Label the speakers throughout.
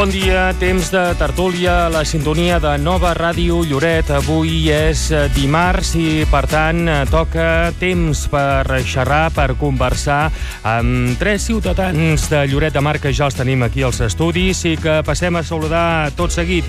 Speaker 1: Bon dia, temps de tertúlia a la sintonia de Nova Ràdio Lloret. Avui és dimarts i, per tant, toca temps per xerrar, per conversar amb tres ciutadans de Lloret de Mar que ja els tenim aquí als estudis i que passem a saludar tot seguit.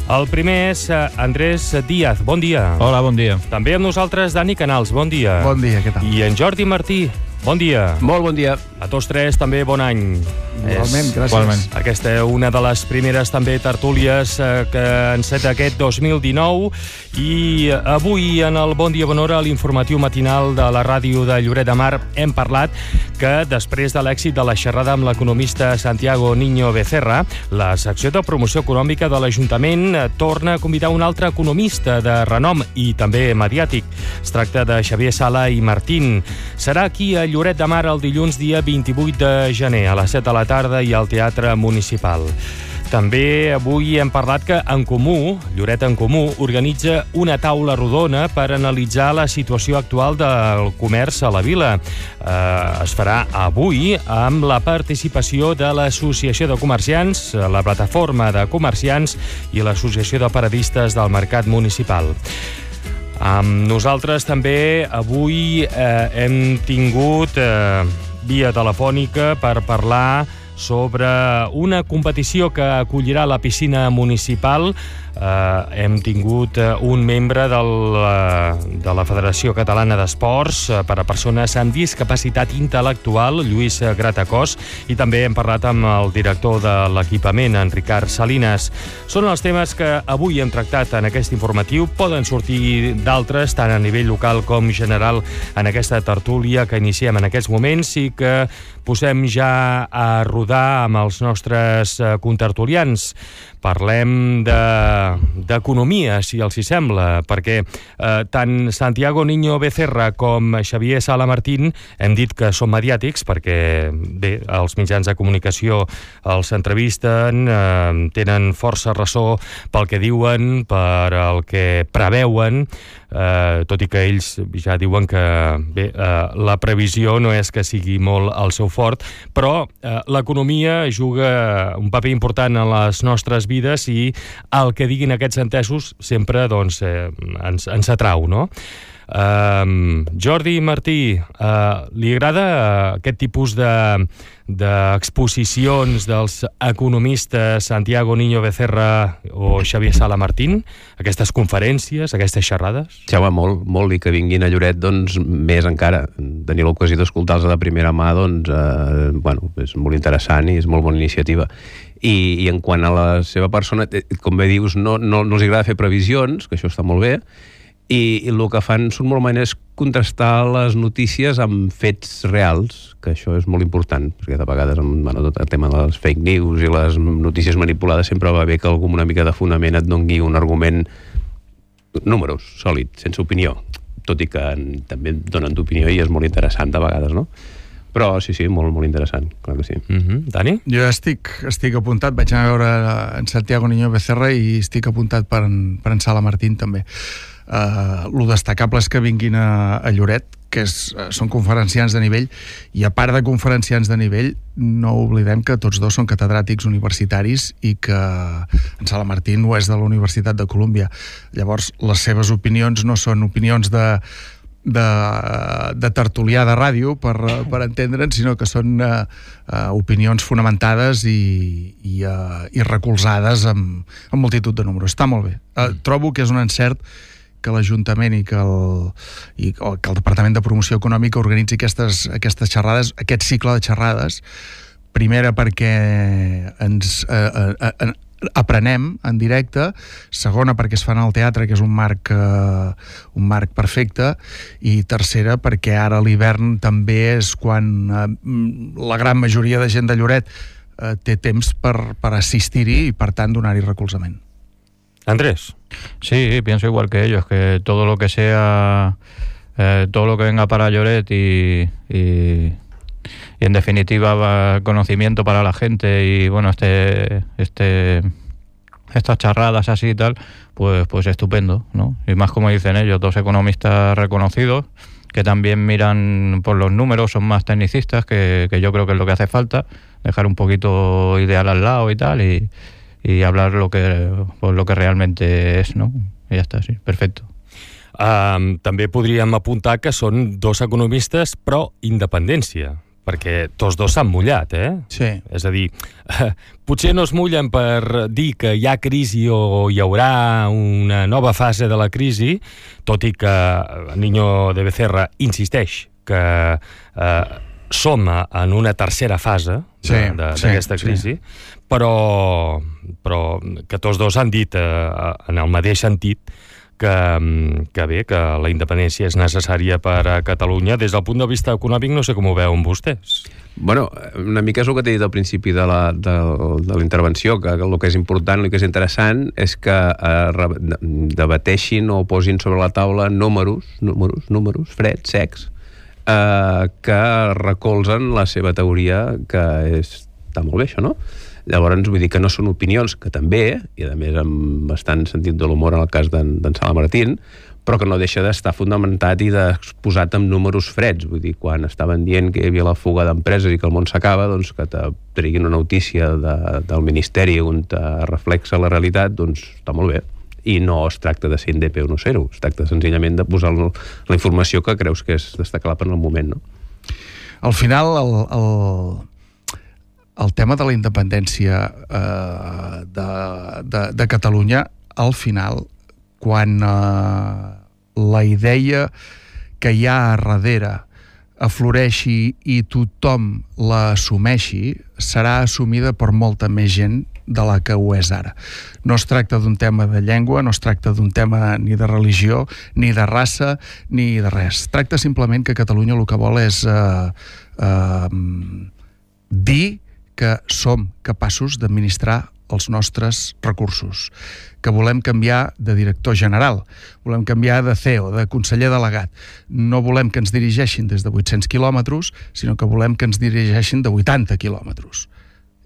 Speaker 1: El primer és Andrés Díaz. Bon dia.
Speaker 2: Hola, bon dia.
Speaker 1: També amb nosaltres Dani Canals. Bon dia.
Speaker 3: Bon dia, què tal?
Speaker 1: I en Jordi Martí. Bon dia.
Speaker 4: Molt bon dia.
Speaker 1: A tots tres també bon any.
Speaker 3: Igualment, gràcies.
Speaker 2: Igualment.
Speaker 1: Aquesta és una de les primeres també tertúlies que enceta aquest 2019 i avui en el Bon Dia Bon Hora, a l'informatiu matinal de la ràdio de Lloret de Mar, hem parlat que després de l'èxit de la xerrada amb l'economista Santiago Niño Becerra, la secció de promoció econòmica de l'Ajuntament torna a convidar un altre economista de renom i també mediàtic. Es tracta de Xavier Sala i Martín. Serà aquí a Lloret de Mar el dilluns dia 28 de gener a les 7 de la tarda i al Teatre Municipal. També avui hem parlat que En Comú, Lloret en Comú, organitza una taula rodona per analitzar la situació actual del comerç a la vila. Es farà avui amb la participació de l'Associació de Comerciants, la Plataforma de Comerciants i l'Associació de Paradistes del Mercat Municipal. Amb nosaltres també avui hem tingut via telefònica per parlar sobre una competició que acollirà la piscina municipal. Hem tingut un membre de la Federació Catalana d'Esports per a persones amb discapacitat intel·lectual, Lluís Gratacós, i també hem parlat amb el director de l'equipament, en Ricard Salinas. Són els temes que avui hem tractat en aquest informatiu. Poden sortir d'altres, tant a nivell local com general, en aquesta tertúlia que iniciem en aquests moments i que posem ja a rodar amb els nostres contertulians. Parlem d'economia, si els hi sembla, perquè tant Santiago Niño Becerra com Xavier Sala Martín hem dit que són mediàtics perquè, bé, els mitjans de comunicació els entrevisten, tenen força ressò pel que diuen, per el que preveuen, tot i que ells ja diuen que, bé, la previsió no és que sigui molt el seu fort, però l'economia juga un paper important en les nostres vides i el que diguin aquests entesos sempre doncs, ens atrau, no? Jordi Martí, li agrada aquest tipus d'exposicions dels economistes Santiago Niño Becerra o Xavier Sala Martín? Aquestes conferències, aquestes xerrades?
Speaker 4: Ja va molt, i que vinguin a Lloret, doncs, més encara. Tenir l'ocasió d'escoltar-los de primera mà, doncs, és molt interessant i és molt bona iniciativa. I en quant a la seva persona, com bé dius, no els agrada fer previsions, que això està molt bé, i el que fan normalment és contrastar les notícies amb fets reals, que això és molt important, perquè de vegades tot el tema de les fake news i les notícies manipulades sempre va bé que algú amb una mica de fonament et doni un argument, números, sòlid, sense opinió, tot i que també donen d'opinió i és molt interessant de vegades, no? Però sí, molt interessant, clar que sí.
Speaker 1: Dani?
Speaker 3: Jo estic apuntat, vaig anar a veure en Santiago Niño Becerra i estic apuntat per en Sala Martín també. Lo destacable és que vinguin a Lloret, que són conferenciants de nivell, i a part de conferenciants de nivell, no oblidem que tots dos són catedràtics universitaris i que en Sala Martín ho és de la Universitat de Colúmbia. Llavors, les seves opinions no són opinions de tertulià de ràdio, per entendre'n, sinó que són opinions fonamentades i recolzades amb multitud de números. Està molt bé. Trobo que és un encert que l'Ajuntament i que el Departament de Promoció Econòmica organitzi aquestes xerrades, aquest cicle de xerrades, primera perquè ens aprenem en directe, segona perquè es fan al teatre, que és un marc perfecte, i tercera perquè ara a l'hivern també és quan la gran majoria de gent de Lloret té temps per assistir-hi i per tant donar-hi recolzament.
Speaker 1: Andrés.
Speaker 2: Sí, pienso igual que ellos, que todo lo que sea, todo lo que venga para Lloret y en definitiva conocimiento para la gente y bueno, estas charradas así y tal, pues estupendo, ¿no? Y más como dicen ellos, dos economistas reconocidos que también miran por los números, son más tecnicistas, que yo creo que es lo que hace falta, dejar un poquito ideal al lado y tal, y hablar lo que realmente es, ¿no? I ja està, sí, perfecte.
Speaker 1: També podríem apuntar que són dos economistes pro independència, perquè tots dos s'han mullat,
Speaker 3: Sí.
Speaker 1: És a dir, potser no es mullen per dir que hi ha crisi o hi haurà una nova fase de la crisi, tot i que Niño de Becerra insisteix que som en una tercera fase d'aquesta crisi, però que tots dos han dit en el mateix sentit que bé, que la independència és necessària per a Catalunya. Des del punt de vista econòmic no sé com ho veuen vostès.
Speaker 4: Bueno, una mica és el que t'he dit al principi de la intervenció, que el que és important, el que és interessant és que debateixin o posin sobre la taula números freds, secs, que recolzen la seva teoria, que està molt bé això, no? Llavors, vull dir que no són opinions, que també, i a més amb bastant sentit de l'humor en el cas d'en Sala Martín, però que no deixa d'estar fonamentat i d'exposat amb números freds. Vull dir, quan estaven dient que hi havia la fuga d'empreses i que el món s'acaba, doncs que te treguin una notícia del Ministeri on te reflexa la realitat, doncs està molt bé. I no es tracta de ser indepe o no ser-ho, es tracta senzillament de posar la informació que creus que és destacable en el moment, no?
Speaker 3: Al final, el tema de la independència de Catalunya, al final, quan la idea que hi ha a darrere afloreixi i tothom l'assumeixi, serà assumida per molta més gent de la que ho és ara. No es tracta d'un tema de llengua, no es tracta d'un tema ni de religió, ni de raça, ni de res. Es tracta simplement que Catalunya el que vol és dir que som capaços d'administrar els nostres recursos, que volem canviar de director general, volem canviar de CEO, de conseller delegat. No volem que ens dirigeixin des de 800 quilòmetres, sinó que volem que ens dirigeixin de 80 quilòmetres.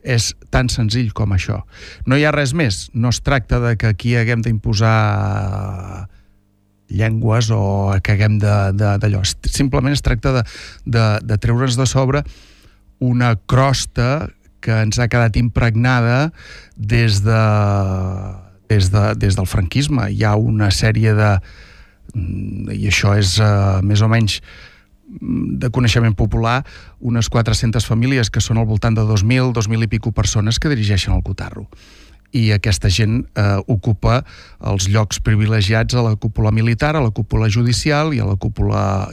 Speaker 3: És tan senzill com això. No hi ha res més. No es tracta de que aquí haguem d'imposar llengües o que haguem d'allò. Simplement es tracta de treure's de sobre una crosta que ens ha quedat impregnada des del franquisme. Hi ha una sèrie i això és més o menys de coneixement popular, unes 400 famílies que són al voltant de 2.000 i pico persones que dirigeixen el cotarro. I aquesta gent ocupa els llocs privilegiats a la cúpula militar, a la cúpula judicial i a la cúpula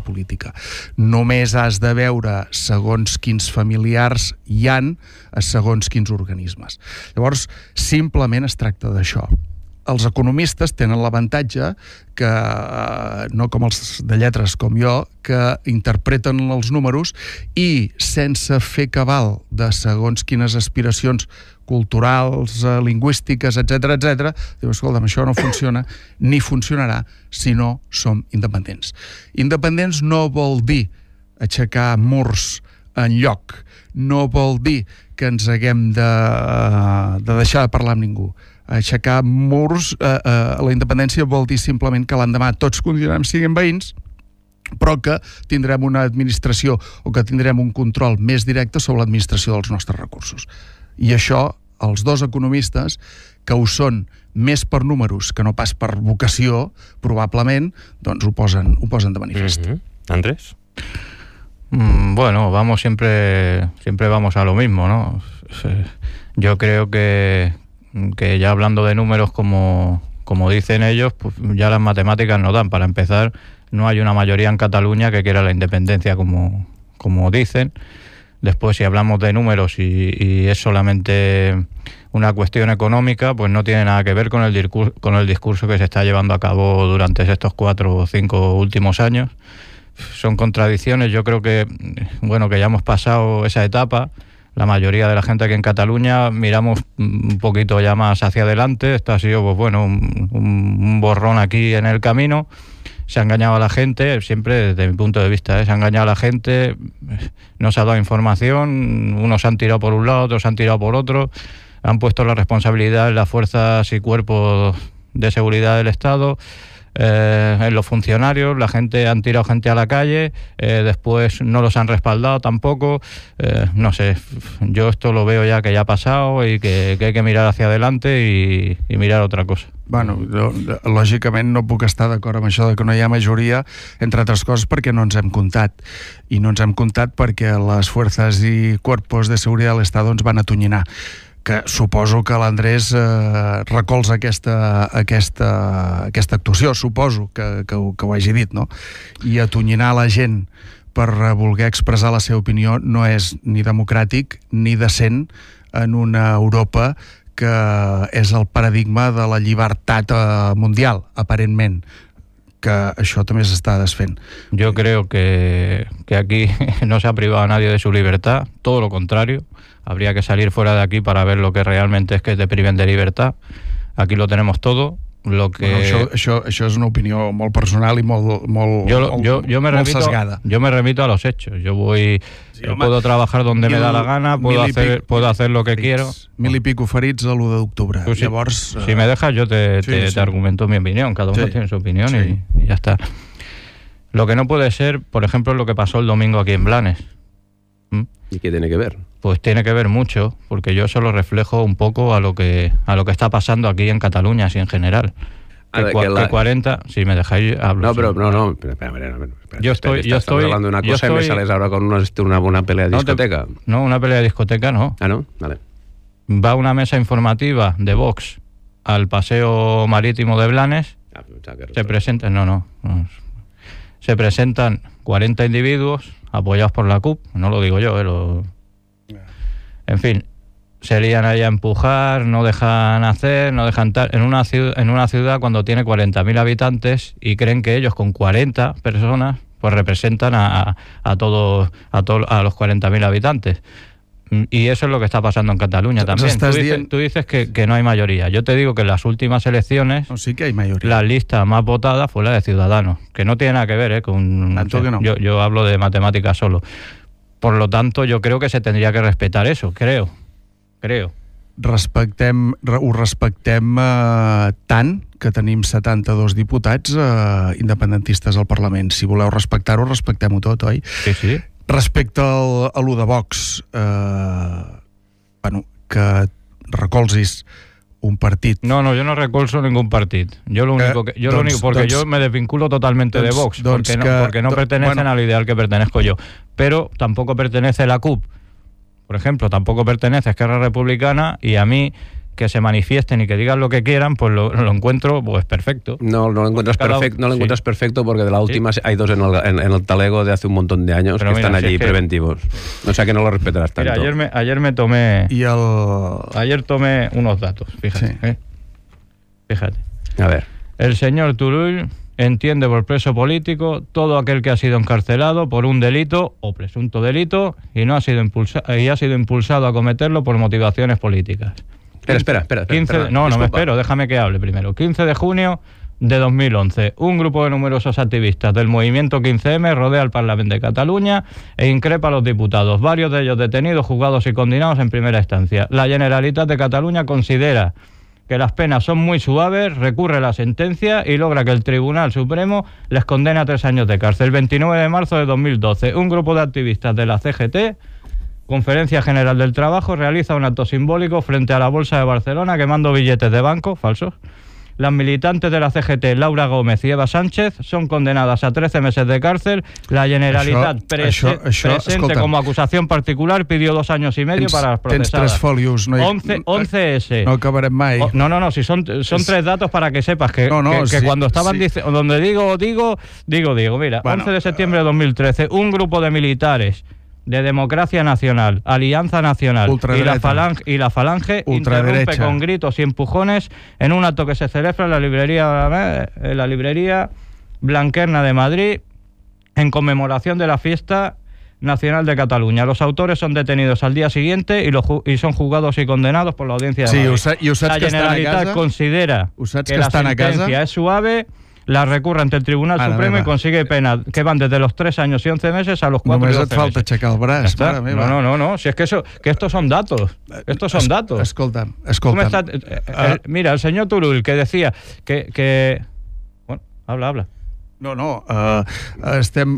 Speaker 3: política. Només has de veure segons quins familiars hi han a segons quins organismes. Llavors, simplement es tracta d'això. Els economistes tenen l'avantatge que, no com els de lletres com jo, que interpreten els números i sense fer cabal de segons quines aspiracions culturals, lingüístiques, etc, diu, escolta'm, això no funciona ni funcionarà si no som independents. Independents no vol dir aixecar murs en lloc, no vol dir que ens haguem de deixar de parlar amb ningú. Aixecar murs, la independència vol dir simplement que l'endemà tots continuarem sent veïns, però que tindrem una administració o que tindrem un control més directe sobre l'administració dels nostres recursos. I això, els dos economistes, que ho són més per números que no pas per vocació, probablement, doncs ho posen de manifest.
Speaker 1: Andrés?
Speaker 2: Bueno, siempre vamos a lo mismo, ¿no? Yo creo que ya hablando de números como dicen ellos, pues ya las matemáticas no dan. Para empezar, no hay una mayoría en Cataluña que quiera la independencia como dicen. Después, si hablamos de números y es solamente una cuestión económica, pues no tiene nada que ver con el discurso que se está llevando a cabo durante estos 4 o 5 últimos años. Son contradicciones. Yo creo que ya hemos pasado esa etapa. La mayoría de la gente aquí en Cataluña miramos un poquito ya más hacia adelante. Esto ha sido un borrón aquí en el camino. Se ha engañado a la gente, siempre desde mi punto de vista, se ha engañado a la gente, no se ha dado información, unos han tirado por un lado, otros han tirado por otro, han puesto la responsabilidad en las fuerzas y cuerpos de seguridad del Estado, en los funcionarios, la gente han tirado gente a la calle, después no los han respaldado tampoco, no sé, yo esto lo veo ya que ya ha pasado y que hay que mirar hacia adelante y mirar otra cosa.
Speaker 3: Bueno, jo, lògicament no puc estar d'acord amb això de que no hi ha majoria, entre altres coses perquè no ens hem comptat. I no ens hem comptat perquè les fuerzas i cuerpos de seguridad del Estado ens van atonyinar. Que suposo que l'Andrés recolza aquesta actuació, suposo que ho hagi dit, no? I atonyinar la gent per voler expressar la seva opinió no és ni democràtic ni decent en una Europa que és el paradigma de la llibertat mundial, aparentment, que això també s'està desfent.
Speaker 2: Yo creo que aquí no se ha privado a nadie de su libertad, todo lo contrario. Habría que salir fuera de aquí para ver lo que realmente es que te priven de libertad. Aquí lo tenemos todo. Lo que...
Speaker 3: Bueno, això és una opinió molt personal i molt sesgada.
Speaker 2: Yo me remito a los hechos. Yo puedo trabajar donde me da la gana, puedo hacer lo que quiero.
Speaker 3: 1.000 i pico ferits a l'1 d'octubre.
Speaker 2: Sí.
Speaker 3: Llavors,
Speaker 2: si me dejas, yo te argumento mi opinión. Cada uno tiene su opinión y ya está. Lo que no puede ser, por ejemplo, es lo que pasó el domingo aquí en Blanes.
Speaker 4: ¿Y qué tiene que ver?
Speaker 2: Pues tiene que ver mucho, porque yo eso lo reflejo un poco a lo que está pasando aquí en Cataluña, así en general. Que 40, si me dejáis hablo.
Speaker 4: No, pero no, espera.
Speaker 2: Yo estoy
Speaker 4: hablando de una cosa y me sales ahora con una pelea de discoteca.
Speaker 2: No, una pelea de discoteca no.
Speaker 4: Ah, ¿no? Vale.
Speaker 2: Va una mesa informativa de Vox al paseo marítimo de Blanes. Se presentan, se presentan 40 individuos apoyados por la CUP, no lo digo yo, en fin, se lían ahí a empujar, no dejan hacer, no dejan tal, en una ciudad cuando tiene 40.000 habitantes y creen que ellos con 40 personas pues representan a los 40.000 habitantes. Y eso es lo que está pasando en Cataluña también. Tú dices que no hay mayoría. Yo te digo que en las últimas elecciones
Speaker 3: sí que hay mayoría.
Speaker 2: La lista más votada fue la de Ciudadanos, que no tiene nada que ver con...
Speaker 3: Tanto que no.
Speaker 2: Yo hablo de matemáticas solo. Por lo tanto, yo creo que se tendría que respetar eso, creo.
Speaker 3: Ho respectem tant que tenim 72 diputats independentistes al Parlament. Si voleu respectar-ho, respectem-ho tot, oi?
Speaker 2: Sí.
Speaker 3: Respecte a lo de Vox, que recolzis un partit...
Speaker 2: No, yo no recolzo ningún partido. Yo me desvinculo totalmente de Vox, porque no pertenecen al ideal que pertenezco yo. Pero tampoco pertenece la CUP. Por ejemplo, tampoco pertenece Esquerra Republicana, y a mí que se manifiesten y que digan lo que quieran, pues lo encuentro pues perfecto.
Speaker 4: No lo encuentras perfecto, encuentras perfecto porque de la última hay dos en el talego de hace un montón de años. Pero que están allí preventivos. O sea que no lo respetarás tanto.
Speaker 2: Mira, ayer tomé unos datos, fíjate.
Speaker 3: Sí.
Speaker 2: Fíjate.
Speaker 4: A ver.
Speaker 2: El señor Turull entiende por preso político todo aquel que ha sido encarcelado por un delito o presunto delito y ha sido impulsado a cometerlo por motivaciones políticas.
Speaker 4: Espera.
Speaker 2: No me espero, déjame que hable primero. 15 de junio de 2011, un grupo de numerosos activistas del movimiento 15M rodea el Parlamento de Cataluña e increpa a los diputados, varios de ellos detenidos, juzgados y condenados en primera instancia. La Generalitat de Cataluña considera que las penas son muy suaves, recurre a la sentencia y logra que el Tribunal Supremo les condene a 3 años de cárcel. El 29 de marzo de 2012, un grupo de activistas de la CGT, Conferencia General del Trabajo, realiza un acto simbólico frente a la Bolsa de Barcelona quemando billetes de banco falsos. Las militantes de la CGT, Laura Gómez y Eva Sánchez, son condenadas a 13 meses de cárcel. La Generalitat presente como acusación particular pidió 2 años y medio para las procesadas.
Speaker 3: Tens 3 folios.
Speaker 2: 11S.
Speaker 3: No acabarem mai.
Speaker 2: No, si son 3 datos para que sepas que cuando estaban diciendo, donde digo. Mira, bueno, 11 de septiembre de 2013, un grupo de militares de Democracia Nacional, Alianza Nacional y la Falange interrumpe con gritos y empujones en un acto que se celebra en la librería Blanquerna de Madrid en conmemoración de la fiesta nacional de Cataluña. Los autores son detenidos al día siguiente y son juzgados y condenados por la Audiencia de Madrid. La Generalitat considera que la sentencia es suave, la recurre ante el Tribunal Supremo y consigue penas que van desde los 3 años y 11 meses a los 4
Speaker 3: Només
Speaker 2: y 12 meses.
Speaker 3: Només et falta aixecar el braç, mare meva.
Speaker 2: No, si es que estos son datos. Escolta'm.
Speaker 3: Escolta'm.
Speaker 2: Mira, el señor Turull que decía que Habla.
Speaker 3: No, estem...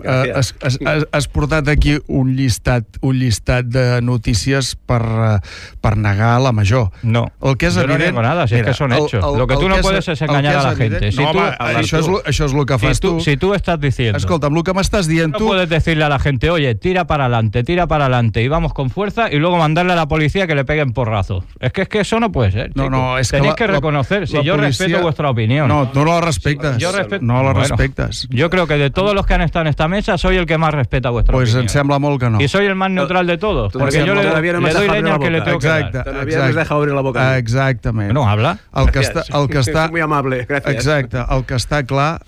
Speaker 3: Has portat aquí un llistat de notícies per negar la major.
Speaker 2: No,
Speaker 3: el que és
Speaker 2: yo
Speaker 3: evident,
Speaker 2: no niego nada, si es que son hechos. Lo que tú no puedes es engañar a la gente.
Speaker 3: No, home, això és el que fas tu.
Speaker 2: Si tú estás diciendo...
Speaker 3: Escolta'm, el que m'estàs dient tu...
Speaker 2: No puedes decirle a la gente, oye, tira para adelante, y vamos con fuerza, y luego mandarle a la policía que le peguen porrazos. Es que eso no puede ser, chicos.
Speaker 3: No, és
Speaker 2: Tenéis
Speaker 3: que
Speaker 2: que reconocer, si yo
Speaker 3: policia...
Speaker 2: respeto vuestra opinión.
Speaker 3: No, no la respectes. No la respectes.
Speaker 2: Yo creo que de todos los que han estado en esta mesa, soy el que más respeta vuestra opinión.
Speaker 3: Pues em sembla molt que no.
Speaker 2: Y soy el más neutral de todos, porque yo le doy leña al que le tengo que dar.
Speaker 4: Todavía no has dejado abrir la boca.
Speaker 3: Exactament.
Speaker 2: No, habla.
Speaker 3: El que està...
Speaker 4: Muy amable, gracias.
Speaker 3: Exacte. El que està clar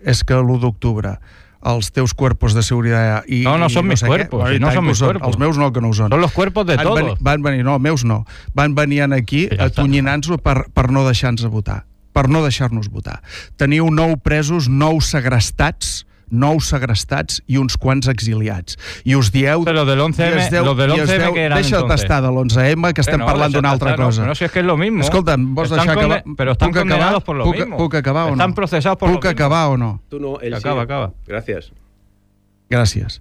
Speaker 3: és que l'1 d'octubre els teus cuerpos de seguridad y
Speaker 2: no son mis cuerpos, no son mis cuerpos.
Speaker 3: Els meus no, que no ho són.
Speaker 2: Son los cuerpos de todos.
Speaker 3: Van venir, no, meus no. Van venir aquí atonyinant-nos per no deixar-nos votar. Per no deixar-nos votar. Teniu 9 presos, 9 segrestats i uns quants exiliats. I us dieu...
Speaker 2: Però de l'11M que eren
Speaker 3: deixa d'estar de l'11M, que estem parlant d'una altra cosa.
Speaker 2: No, si es que es lo mismo.
Speaker 3: Escolta'm, vols deixar acabar?
Speaker 2: Pero están condenados por lo mismo.
Speaker 3: ¿Puc acabar o no?
Speaker 2: Están procesados por lo mismo.
Speaker 3: ¿Puc acabar o no?
Speaker 4: Tu no, ell
Speaker 2: acaba.
Speaker 4: Gràcies.
Speaker 3: Gràcies.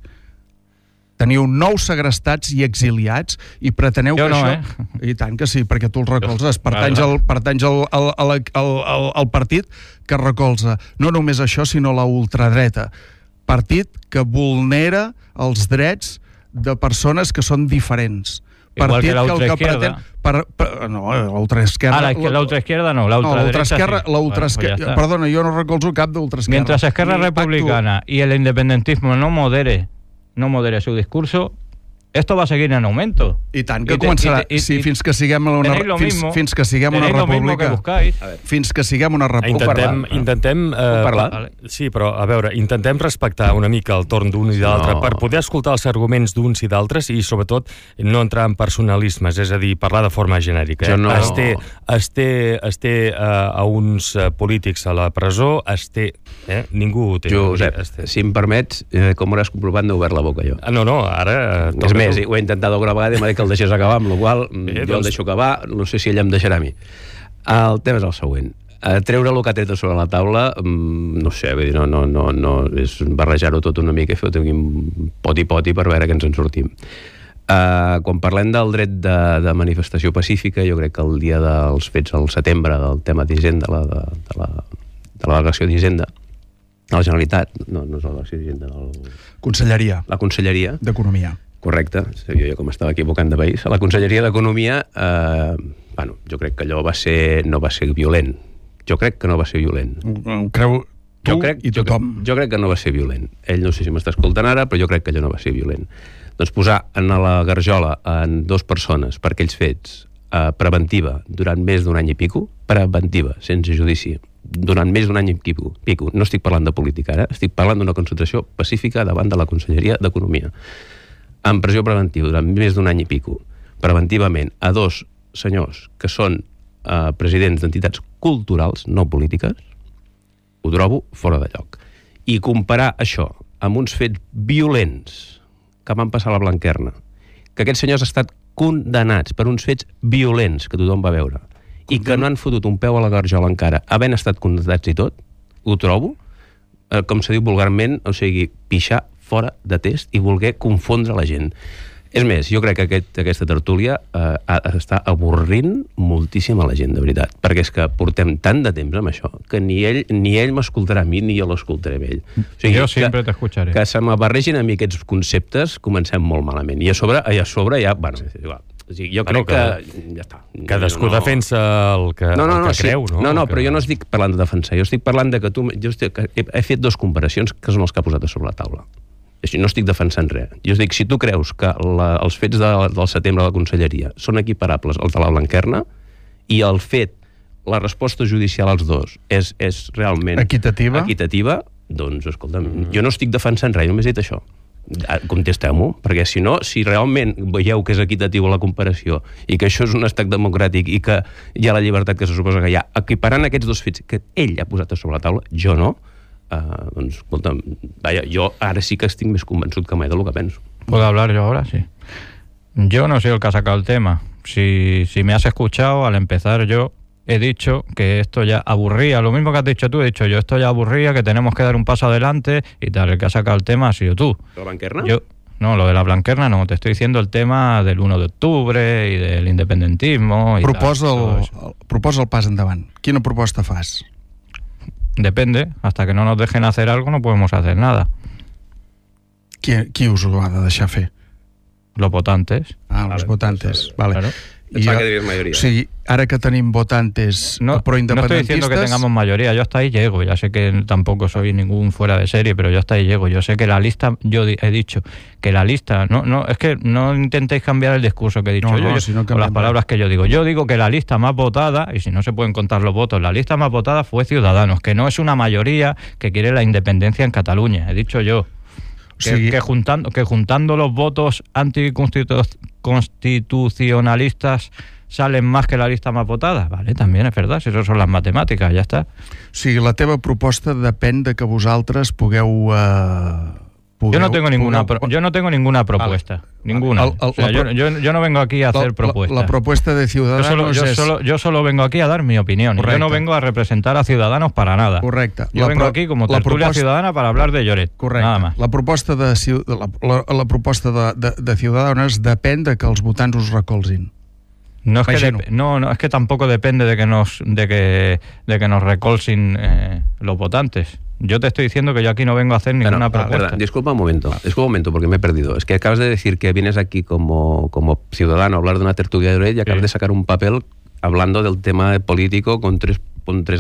Speaker 3: Teniu 9 segrestats i exiliats i preteneu
Speaker 2: jo
Speaker 3: que
Speaker 2: no,
Speaker 3: això... I tant que sí, perquè tu el recolzes. Pertanys al partit que recolza no només això, sinó la ultradreta. Partit que vulnera els drets de persones que són diferents.
Speaker 2: Igual que la ultraizquierda.
Speaker 3: No, la ultraizquierda...
Speaker 2: La ultraizquierda no, la ultraderecha sí.
Speaker 3: Perdona, jo no recolzo cap d'ultraizquierda.
Speaker 2: Mientras Esquerra Republicana y el independentismo no modere su discurso, esto va a seguir en aumento.
Speaker 3: I tant que començarà. Fins que siguem una república. Fins que siguem una república.
Speaker 1: Intentem
Speaker 4: parlar.
Speaker 1: Sí, però a veure, intentem respectar una mica el torn d'un i d'altre per poder escoltar els arguments d'uns i d'altres i sobretot no entrar en personalismes, és a dir, parlar de forma genèrica. Es té a uns polítics a la presó, ningú ho té.
Speaker 4: Josep, si em permets, com hauràs comprovat, no he obert la boca jo.
Speaker 1: No, ara...
Speaker 4: És més, ho he intentat alguna vegada i m'ha dit que el deixés acabar, amb la qual jo el deixo acabar, no sé si ella em deixarà a mi. El tema és el següent. Treure el que ha tret sobre la taula, no sé, vull dir, no és barrejar-ho tot una mica i fer-ho un poti-poti per veure que ens en sortim. Quan parlem del dret de manifestació pacífica, jo crec que el dia dels fets al setembre del tema d'Hisenda, de la delegació d'Hisenda, a la Generalitat, no és la delegació d'Hisenda, la Conselleria
Speaker 3: d'Economia.
Speaker 4: Correcte, jo com estava equivocant de país. A la Conselleria d'Economia, jo crec que allò no va ser violent. Jo crec que no va ser violent.
Speaker 3: Creu tu i tothom.
Speaker 4: Jo crec que no va ser violent. Ell no sé si m'està escoltant ara, però jo crec que allò no va ser violent. Doncs posar en la garjola en 2 persones per aquells fets preventiva durant més d'un any i pico, preventiva, sense judici, durant més d'un any i pico. No estic parlant de política ara, estic parlant d'una concentració pacífica davant de la Conselleria d'Economia. En pressió preventiva durant més d'un any i pico, preventivament, a 2 senyors que són presidents d'entitats culturals, no polítiques, ho trobo fora de lloc. I comparar això amb uns fets violents que van passar a la Blanquerna, que aquests senyors han estat condemnats per uns fets violents que tothom va veure, i que no han fotut un peu a la garjola encara, havent estat condemnats i tot, ho trobo, com se diu vulgarment, o sigui, pixar fora de test i voler confondre la gent. És més, jo crec que aquesta tertúlia està avorrint moltíssim a la gent, de veritat, perquè és que portem tant de temps amb això que ni ell m'escoltarà a mi ni jo l'escoltaré a ell.
Speaker 2: O sigui, jo sempre t'escucharé.
Speaker 4: Que se m'abarregin a mi aquests conceptes, comencem molt malament. I a sobre ja, bueno, igual. Jo crec que ja està.
Speaker 1: Cadascú defensa el que creu, no?
Speaker 4: No, però jo no estic parlant de defensar, jo estic parlant de que he fet 2 comparacions que són els que ha posat a sobre la taula. No estic defensant res. Jo dic, si tu creus que els fets del setembre de la Conselleria són equiparables als de la Blanquerna i el fet, la resposta judicial als 2 és realment equitativa, doncs, escolta'm, jo no estic defensant res, només he dit això. Contesteu-m'ho, perquè si no, si realment veieu que és equitatiu la comparació i que això és un estat democràtic i que hi ha la llibertat que se suposa que hi ha, equiparant aquests 2 fets que ell ha posat a sobre la taula, jo no, doncs, escolta, jo ara sí que estic més convençut que mai de lo que penso.
Speaker 2: ¿Puedo hablar yo ahora? Sí. Yo no soy el que ha sacado el tema. Si me has escuchado, al empezar yo he dicho que esto ya aburría, lo mismo que has dicho tú, he dicho yo, esto ya aburría, que tenemos que dar un paso adelante y tal. El que ha sacado el tema ha sido tú.
Speaker 4: ¿La Blanquerna?
Speaker 2: No, lo de la Blanquerna no, te estoy diciendo el tema del 1 de octubre i del independentismo.
Speaker 3: Proposa el pas endavant. Quina proposta fas?
Speaker 2: Depende, hasta que no nos dejen hacer algo no podemos hacer nada.
Speaker 3: Qui us ho ha de deixar fer?
Speaker 2: Los votantes.
Speaker 3: Los votantes, vale.
Speaker 2: Claro.
Speaker 4: Pensaba que dirías mayoría.
Speaker 3: O sigui, ara que tenim votantes proindependentistes...
Speaker 2: No estoy diciendo que tengamos mayoría, yo hasta ahí llego, ya sé que tampoco soy ningún fuera de serie, pero yo hasta ahí llego. Yo sé que la lista, yo he dicho que la lista, es que no intentéis cambiar el discurso que he dicho o las palabras que yo digo que la lista más votada, y si no se pueden contar los votos, la lista más votada fue Ciudadanos, que no es una mayoría que quiere la independencia en Cataluña, he dicho yo. Que juntando los votos anticonstitucionalistas salen más que la lista más votada. Vale, también es verdad, si eso son las matemáticas, ya está.
Speaker 3: O sigui, la teva proposta depèn de que vosaltres pugueu...
Speaker 2: Yo no tengo ninguna propuesta. Ninguna. Yo no vengo aquí a hacer propuestas.
Speaker 3: La propuesta de Ciudadanos
Speaker 2: yo solo vengo aquí a dar mi opinión. Yo no vengo a representar a Ciudadanos para nada.
Speaker 3: Correcte.
Speaker 2: Yo vengo aquí como tertulia ciudadana para hablar de Lloret.
Speaker 3: Correcte.
Speaker 2: Nada más.
Speaker 3: La proposta de Ciudadanos depèn de que els votants us recolzin.
Speaker 2: No es que tampoco depende de que nos recolsin los votantes. Yo te estoy diciendo que yo aquí no vengo a hacer ninguna propuesta.
Speaker 4: Verdad. Disculpa un momento porque me he perdido. Es que acabas de decir que vienes aquí como ciudadano a hablar de una tertulia de Lloret y acabas de sacar un papel hablando del tema político con tres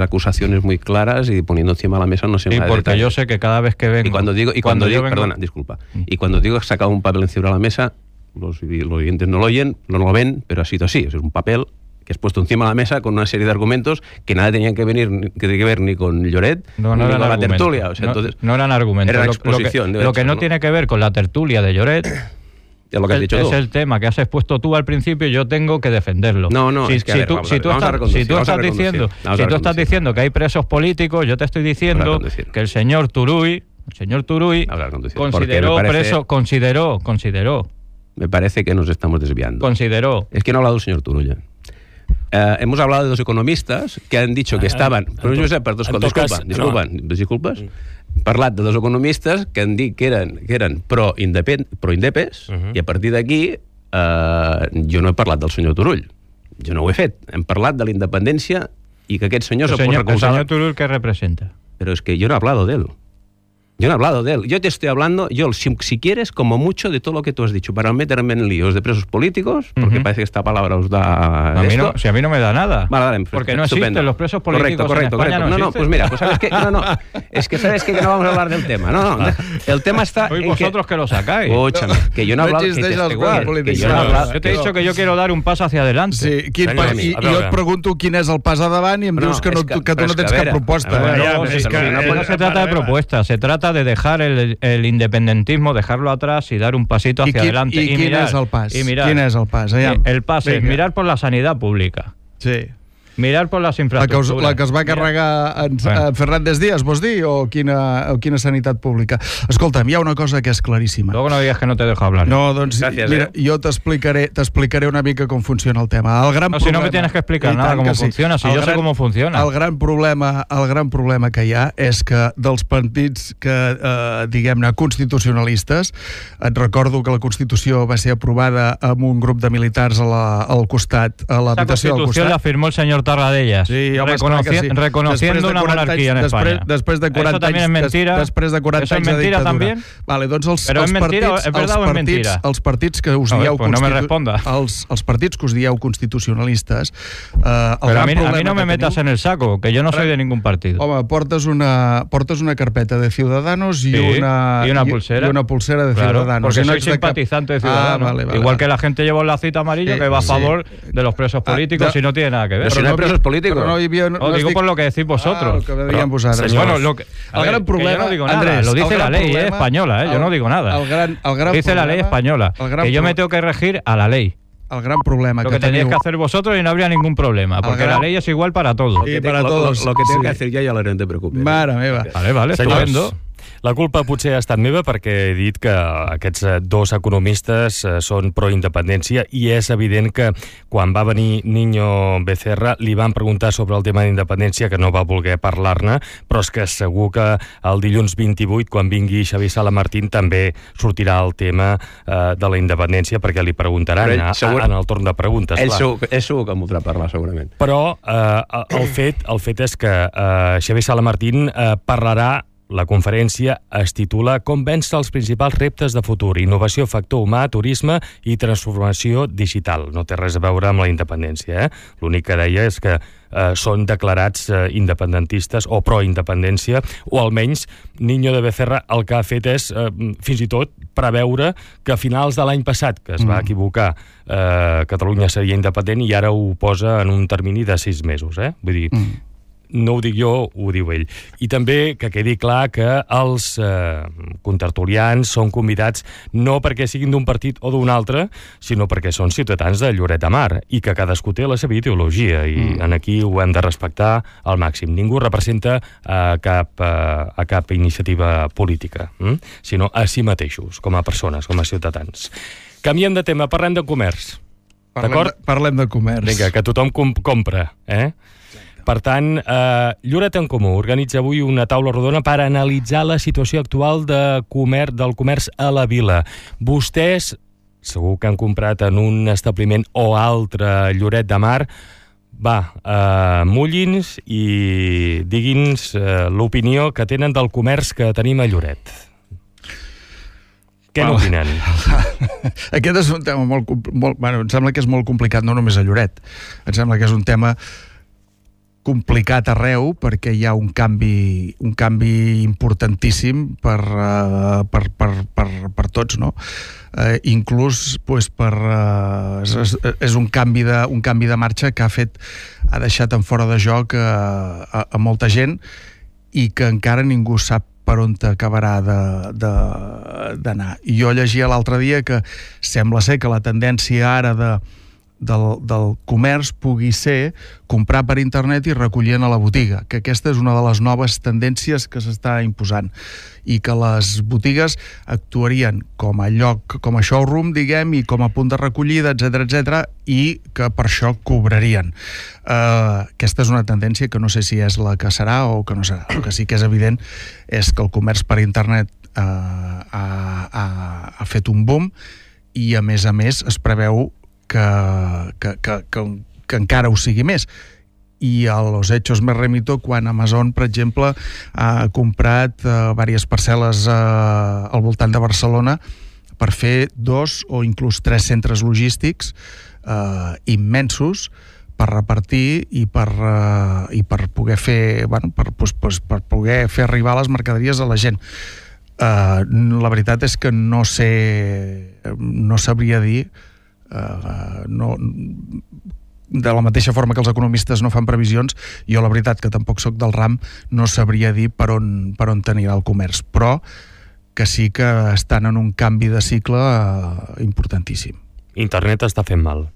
Speaker 4: acusaciones muy claras y poniendo encima de la mesa no sé más.
Speaker 2: Sí, porque yo sé que cada vez que vengo...
Speaker 4: Y cuando digo que sacado un papel encima de la mesa, los oyentes no lo oyen, no lo ven, pero ha sido así. Es un papel que has puesto encima de la mesa con una serie de argumentos que nada tenían que ver ni con Lloret ni con la tertulia. O sea, entonces,
Speaker 2: no eran argumentos.
Speaker 4: Era exposición.
Speaker 2: Lo que no tiene que ver con la tertulia de Lloret
Speaker 4: es lo que has dicho tú.
Speaker 2: Es el tema que has expuesto tú al principio y yo tengo que defenderlo.
Speaker 4: Si tú
Speaker 2: estás diciendo que hay presos políticos, yo te estoy diciendo que el señor Turull consideró.
Speaker 4: Me parece que nos estamos desviando. Es que no ha hablado el señor Turull. Hemos hablado de los economistas que han dicho que estaban... Disculpes. Parlat de dos economistes que han dit que eren pro-indepes i a partir d'aquí jo no he parlat del senyor Turull. Jo no ho he fet. Hem parlat de la independència i que aquest senyor...
Speaker 2: El senyor Turull, ¿qué representa?
Speaker 4: Pero es que yo no he hablado de él. Yo te estoy hablando, si quieres, como mucho de todo lo que tú has dicho, para meterme en líos de presos políticos, porque parece que esta palabra os da...
Speaker 2: A mí no me da nada.
Speaker 4: Vale,
Speaker 2: porque no existen los presos políticos en España.
Speaker 4: No, pues mira, ¿sabes qué? Es que sabes que no vamos a hablar del tema. No. El tema está...
Speaker 2: Sois vosotros que lo sacáis.
Speaker 4: Escúchame, que yo no he hablado...
Speaker 2: Yo te he dicho que yo quiero dar un paso hacia adelante.
Speaker 3: Sí, i jo et pregunto quin és el pas endavant i em dius que tu no tens cap proposta.
Speaker 2: No se trata de propuesta, se trata de dejar el independentismo, dejarlo atrás y dar un pasito hacia adelante.
Speaker 3: ¿Y quin és el pas? Quin és el pas?
Speaker 2: El pas es mirar por la sanidad pública.
Speaker 3: Sí.
Speaker 2: Mirar por las infraestructuras.
Speaker 3: La que es va carregar Fernández Díaz, vols dir? O quina sanitat pública? Escolta'm, hi ha una cosa que és claríssima.
Speaker 2: Luego no digas que no te dejo hablar.
Speaker 3: No, doncs mira, jo t'explicaré una mica com funciona el tema.
Speaker 2: Si no me tienes que explicar nada cómo funciona, si yo sé cómo funciona.
Speaker 3: El gran problema que hi ha és que dels partits que, diguem-ne, constitucionalistes, et recordo que la Constitució va ser aprovada amb un grup de militars al costat, a l'habitació del costat.
Speaker 2: La Constitució la firmó el señor Tarradellas,
Speaker 3: sí,
Speaker 2: reconociendo una monarquía en España.
Speaker 3: Després de 40
Speaker 2: ¿Eso también es mentira?
Speaker 3: Després de 40 anys de dictadura.
Speaker 2: ¿Eso es mentira también?
Speaker 3: Vale, doncs
Speaker 2: ¿Pero es mentira? ¿Es verdad o es mentira?
Speaker 3: Els partits que us dieu...
Speaker 2: Pues no me responda.
Speaker 3: Els partits que us dieu constitucionalistes...
Speaker 2: Pero a mí no me metas en el saco, que yo no soy de ningún partido.
Speaker 3: Home, portes una carpeta de Ciudadanos y una pulsera. Y una pulsera de Ciudadanos.
Speaker 2: Porque soy simpatizante de Ciudadanos. Igual que la gente lleva un lacito amarillo que va a favor de los presos políticos y no tiene nada que ver.
Speaker 4: Pero no hay presos políticos.
Speaker 2: Digo por lo que decís vosotros.
Speaker 3: Lo que deberían posar.
Speaker 2: Bueno, el gran problema... Yo no digo nada, Andrés, lo dice la ley española, yo no digo nada. Dice la ley española, que yo me tengo que regir a la ley.
Speaker 3: El gran problema
Speaker 2: lo que tenéis que hacer vosotros y no habría ningún problema, porque la ley es igual para todos.
Speaker 3: Sí, para todos.
Speaker 4: Lo que tengo que hacer ya lo haré, no te preocupes.
Speaker 3: Mare meva.
Speaker 2: Vale, estupendo.
Speaker 1: La culpa potser ha estat meva perquè he dit que aquests dos economistes són pro-independència i és evident que quan va venir Niño Becerra li van preguntar sobre el tema d'independència que no va voler parlar-ne, però és que segur que el dilluns 28, quan vingui Xavier Salamartín, també sortirà el tema de la independència perquè li preguntaran en el torn de preguntes.
Speaker 4: Ell segur que en voldrà parlar, segurament.
Speaker 1: Però el fet és que Xavier Salamartín parlarà. La conferència es titula Com vèncer els principals reptes de futur, innovació, factor humà, turisme i transformació digital. No té res a veure amb la independència. L'únic que deia és que són declarats independentistes o pro-independència, o almenys Niño de Becerra el que ha fet és fins i tot preveure que a finals de l'any passat, que es va equivocar, Catalunya seria independent i ara ho posa en un termini de 6 mesos. Vull dir, no ho dic jo, ho diu ell. I també que quedi clar que els contertulians són convidats no perquè siguin d'un partit o d'un altre, sinó perquè són ciutadans de Lloret de Mar i que cadascú té la seva ideologia i aquí ho hem de respectar al màxim. Ningú representa a cap iniciativa política, sinó a si mateixos, com a persones, com a ciutadans. Canviem de tema, parlem de comerç. D'acord?
Speaker 3: Parlem de comerç.
Speaker 1: Vinga, que tothom compra, Per tant, Lloret en Comú organitza avui una taula rodona per analitzar la situació actual del comerç a la vila. Vostès, segur que han comprat en un establiment o altre a Lloret de Mar, mulli'ns i digui'ns l'opinió que tenen del comerç que tenim a Lloret. Què n'opinen?
Speaker 3: Aquest és un tema molt... em sembla que és molt complicat, no només a Lloret. Em sembla que és un tema complicat arreu perquè hi ha un canvi importantíssim per tots, no? Inclús és un canvi de marxa que ha deixat en fora de joc a molta gent i que encara ningú sap per on acabarà d'anar. I jo llegia l'altre dia que sembla ser que la tendència ara del comerç pugui ser comprar per internet i recollir a la botiga, que aquesta és una de les noves tendències que s'està imposant i que les botigues actuarien com a lloc, com a showroom, diguem, i com a punt de recollida, etc, i que per això cobrarien. Aquesta és una tendència que no sé si és la que serà o que no serà. El que sí que és evident és que el comerç per internet ha fet un boom i a més es preveu que encara ho sigui més. I a los hechos me remito quan Amazon, per exemple, ha comprat diverses parcel·les al voltant de Barcelona per fer 2 o inclús 3 centres logístics immensos per repartir i per poder fer per poder fer arribar les mercaderies a la gent. La veritat és que no sabria dir de la mateixa forma que els economistes no fan previsions, jo la veritat que tampoc sóc del ram, no sabria dir per on tenirà el comerç, però que sí que estan en un canvi de cicle importantíssim.
Speaker 1: Internet està fent mal.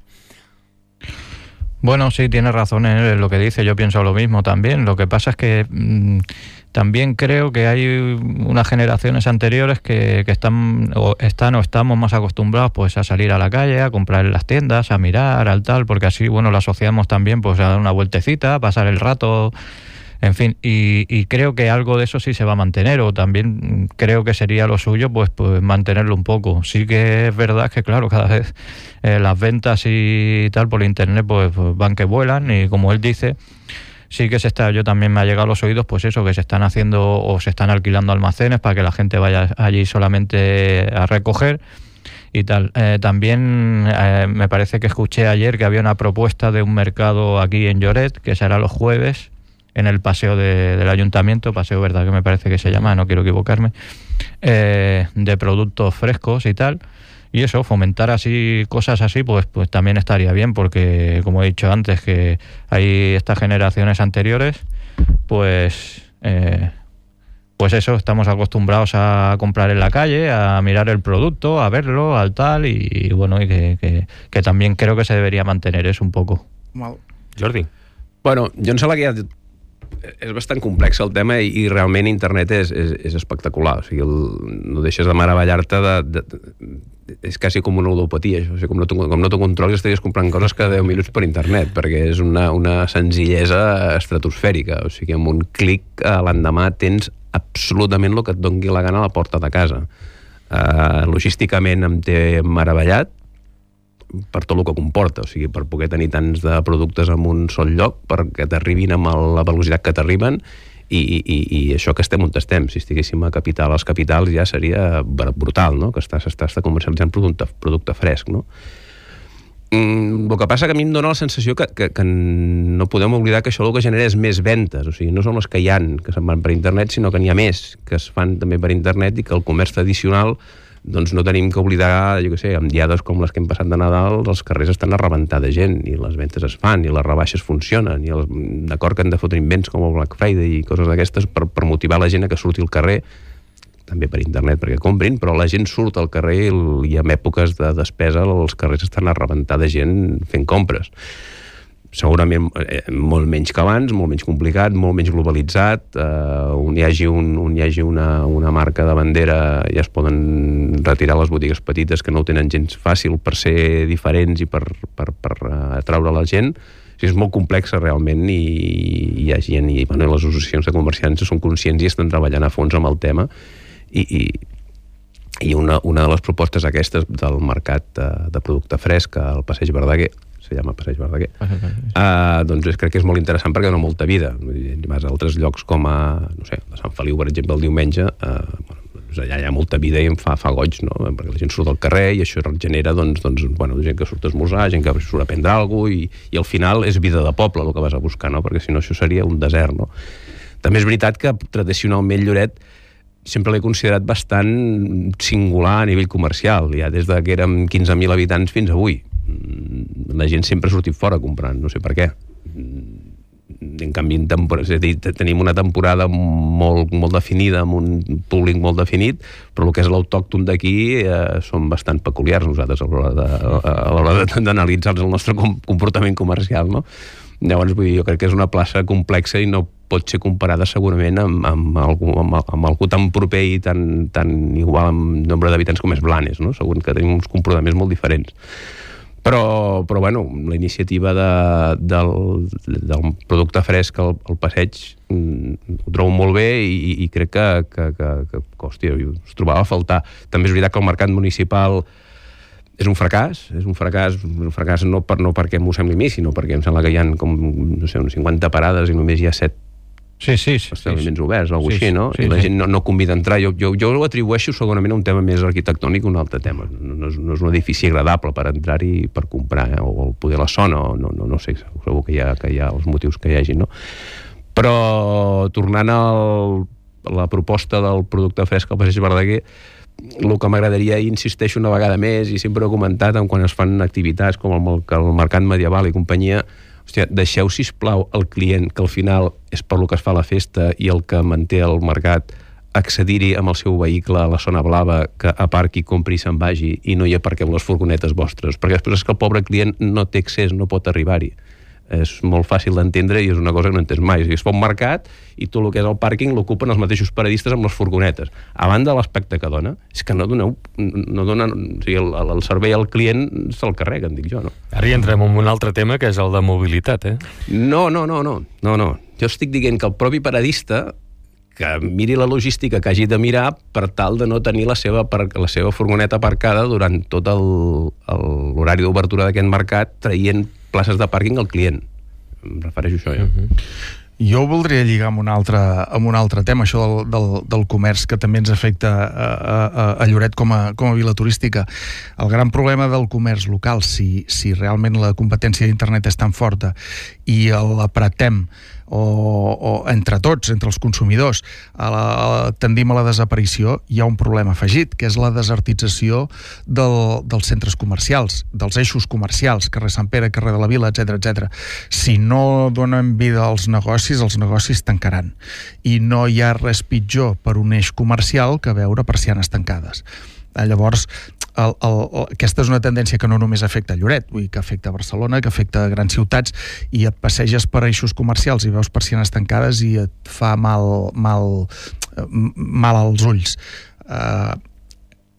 Speaker 2: Bueno, sí, tiene razón en lo que dice, yo pienso lo mismo también. Lo que pasa es que también creo que hay unas generaciones anteriores que estamos más acostumbrados pues a salir a la calle, a comprar en las tiendas, a mirar, al tal, porque así, bueno, lo asociamos también pues a dar una vueltecita, a pasar el rato, en fin, y creo que algo de eso sí se va a mantener, o también creo que sería lo suyo pues mantenerlo un poco. Sí que es verdad que, claro, cada vez las ventas y tal por internet pues van que vuelan, y como él dice, sí que yo también me ha llegado a los oídos pues eso, que se están haciendo o se están alquilando almacenes para que la gente vaya allí solamente a recoger y tal. También me parece que escuché ayer que había una propuesta de un mercado aquí en Lloret, que será los jueves, en el paseo del ayuntamiento, Paseo Verdad que me parece que se llama, no quiero equivocarme, de productos frescos y tal. Y eso, fomentar así cosas así, pues también estaría bien, porque como he dicho antes, que hay estas generaciones anteriores, pues eso, estamos acostumbrados a comprar en la calle, a mirar el producto, a verlo, al tal, y bueno, y que también creo que se debería mantener eso un poco.
Speaker 1: Jordi.
Speaker 4: Bueno, jo em sembla que hi ha És bastant complex el tema i realment internet és espectacular, o sigui, no deixes de meravellar-te és quasi com una ludopatia, això. O sigui, com no t'ho controlis estaries comprant coses cada 10 minuts per internet, perquè és una senzillesa estratosfèrica, o sigui, amb un clic l'endemà tens absolutament el que et doni la gana a la porta de casa. Logísticament em té meravellat per tot el que comporta, o sigui, per poder tenir tants de productes en un sol lloc, perquè t'arribin amb la velocitat que t'arriben i això que estem on estem. Si estiguéssim a les capitals ja seria brutal, no? Que s'està comercialitzant producte fresc, no? El que passa que a mi em dóna la sensació que no podem oblidar que això el que genera és més ventes, o sigui, no són les que hi ha que se'n van per internet, sinó que n'hi ha més que es fan també per internet i que el comerç tradicional doncs no tenim que oblidar, jo què sé, amb diades com les que hem passat de Nadal, els carrers estan a rebentar de gent i les ventes es fan i les rebaixes funcionen i d'acord que han de fotre invents com el Black Friday i coses d'aquestes per motivar la gent a que surti al carrer, també per internet perquè comprin, però la gent surt al carrer i en èpoques de despesa els carrers estan a rebentar de gent fent compres. Segurament molt menys que abans, molt menys complicat, molt menys globalitzat, on hi hagi una marca de bandera ja es poden retirar les botigues petites que no ho tenen gens fàcil per ser diferents i per atraure la gent. O sigui, és molt complexa realment i hi ha gent i les associacions de comerciants són conscients i estan treballant a fons amb el tema i una de les propostes aquestes del mercat de producte fresc al Passeig Verdaguer, se llama Passeig Verdaguer, doncs crec que és molt interessant perquè dona molta vida. Vas a altres llocs com a Sant Feliu, per exemple, el diumenge, allà hi ha molta vida i em fa goig, no? Perquè la gent surt al carrer i això genera gent que surt a esmorzar, gent que surt a prendre alguna cosa i al final és vida de poble el que vas a buscar, no? Perquè si no això seria un desert, no? També és veritat que tradicionalment Lloret sempre l'he considerat bastant singular a nivell comercial, ja des que érem 15.000 habitants fins avui. La gent sempre ha sortit fora comprant, no sé per què. En canvi, tenim una temporada molt definida, amb un públic molt definit, però el que és l'autòcton d'aquí són bastant peculiars nosaltres a l'hora d'analitzar el nostre comportament comercial, no? Llavors, jo crec que és una plaça complexa i no pot ser comparada segurament amb algú tan proper i tan igual en nombre d'habitants com és Blanes, no? Segur que tenim uns comportaments molt diferents. Però bueno, la iniciativa del producte fresc al passeig ho trobo molt bé i crec que hòstia, us trobava a faltar. També és veritat que el mercat municipal és un fracàs no perquè m'ho sembli a mi, sinó perquè em sembla que hi ha com, no sé, unes 50 parades i només hi ha 7 establiments oberts, o alguna cosa així, no? I la gent no convida a entrar. Jo ho atribueixo segurament a un tema més arquitectònic que un altre tema. No és un edifici agradable per entrar-hi per comprar, o poder la zona, no sé, segur que hi ha els motius que hi hagi, no? Però tornant a la proposta del producte fresc al Passeig Verdaguer, el que m'agradaria, i insisteixo una vegada més, i sempre ho he comentat quan es fan activitats com el mercat medieval i companyia, hòstia, deixeu, sisplau, el client, que al final és per lo que es fa la festa i el que manté el mercat, accedir-hi amb el seu vehicle a la zona blava, que aparqui, compri i se'n vagi, i no hi aparqueu les furgonetes vostres, perquè després és que el pobre client no té accés, no pot arribar-hi. És molt fàcil d'entendre i és una cosa que no entens mai. Es fa un mercat i tot el que és el pàrquing l'ocupen els mateixos paradistes amb les furgonetes. A banda de l'aspecte que dona, és que no donen, o sigui, el servei al client se'l carrega, en dic jo, no?
Speaker 1: Ara hi entrem en un altre tema, que és el de mobilitat,
Speaker 4: No. Jo estic dient que el propi paradista que miri la logística que hagi de mirar per tal de no tenir la seva furgoneta aparcada durant tot l'horari d'obertura d'aquest mercat, traient places de pàrquing al client. Em refereixo a això, ja.
Speaker 3: Jo voldria lligar amb un altre tema, això del comerç, que també ens afecta a Lloret com a vila turística. El gran problema del comerç local, si realment la competència d'internet és tan forta i l'apretem o entre tots, entre els consumidors, tendim a la desaparició, hi ha un problema afegit, que és la desertització dels centres comercials, dels eixos comercials, carrer Sant Pere, carrer de la Vila, etc. Si no donen vida als negocis, els negocis tancaran. I no hi ha res pitjor per un eix comercial que veure persianes tancades. Llavors, aquesta és una tendència que no només afecta Lloret, vull dir que afecta Barcelona, que afecta grans ciutats, i et passeges per eixos comercials i veus persianes tancades i et fa mal als ulls.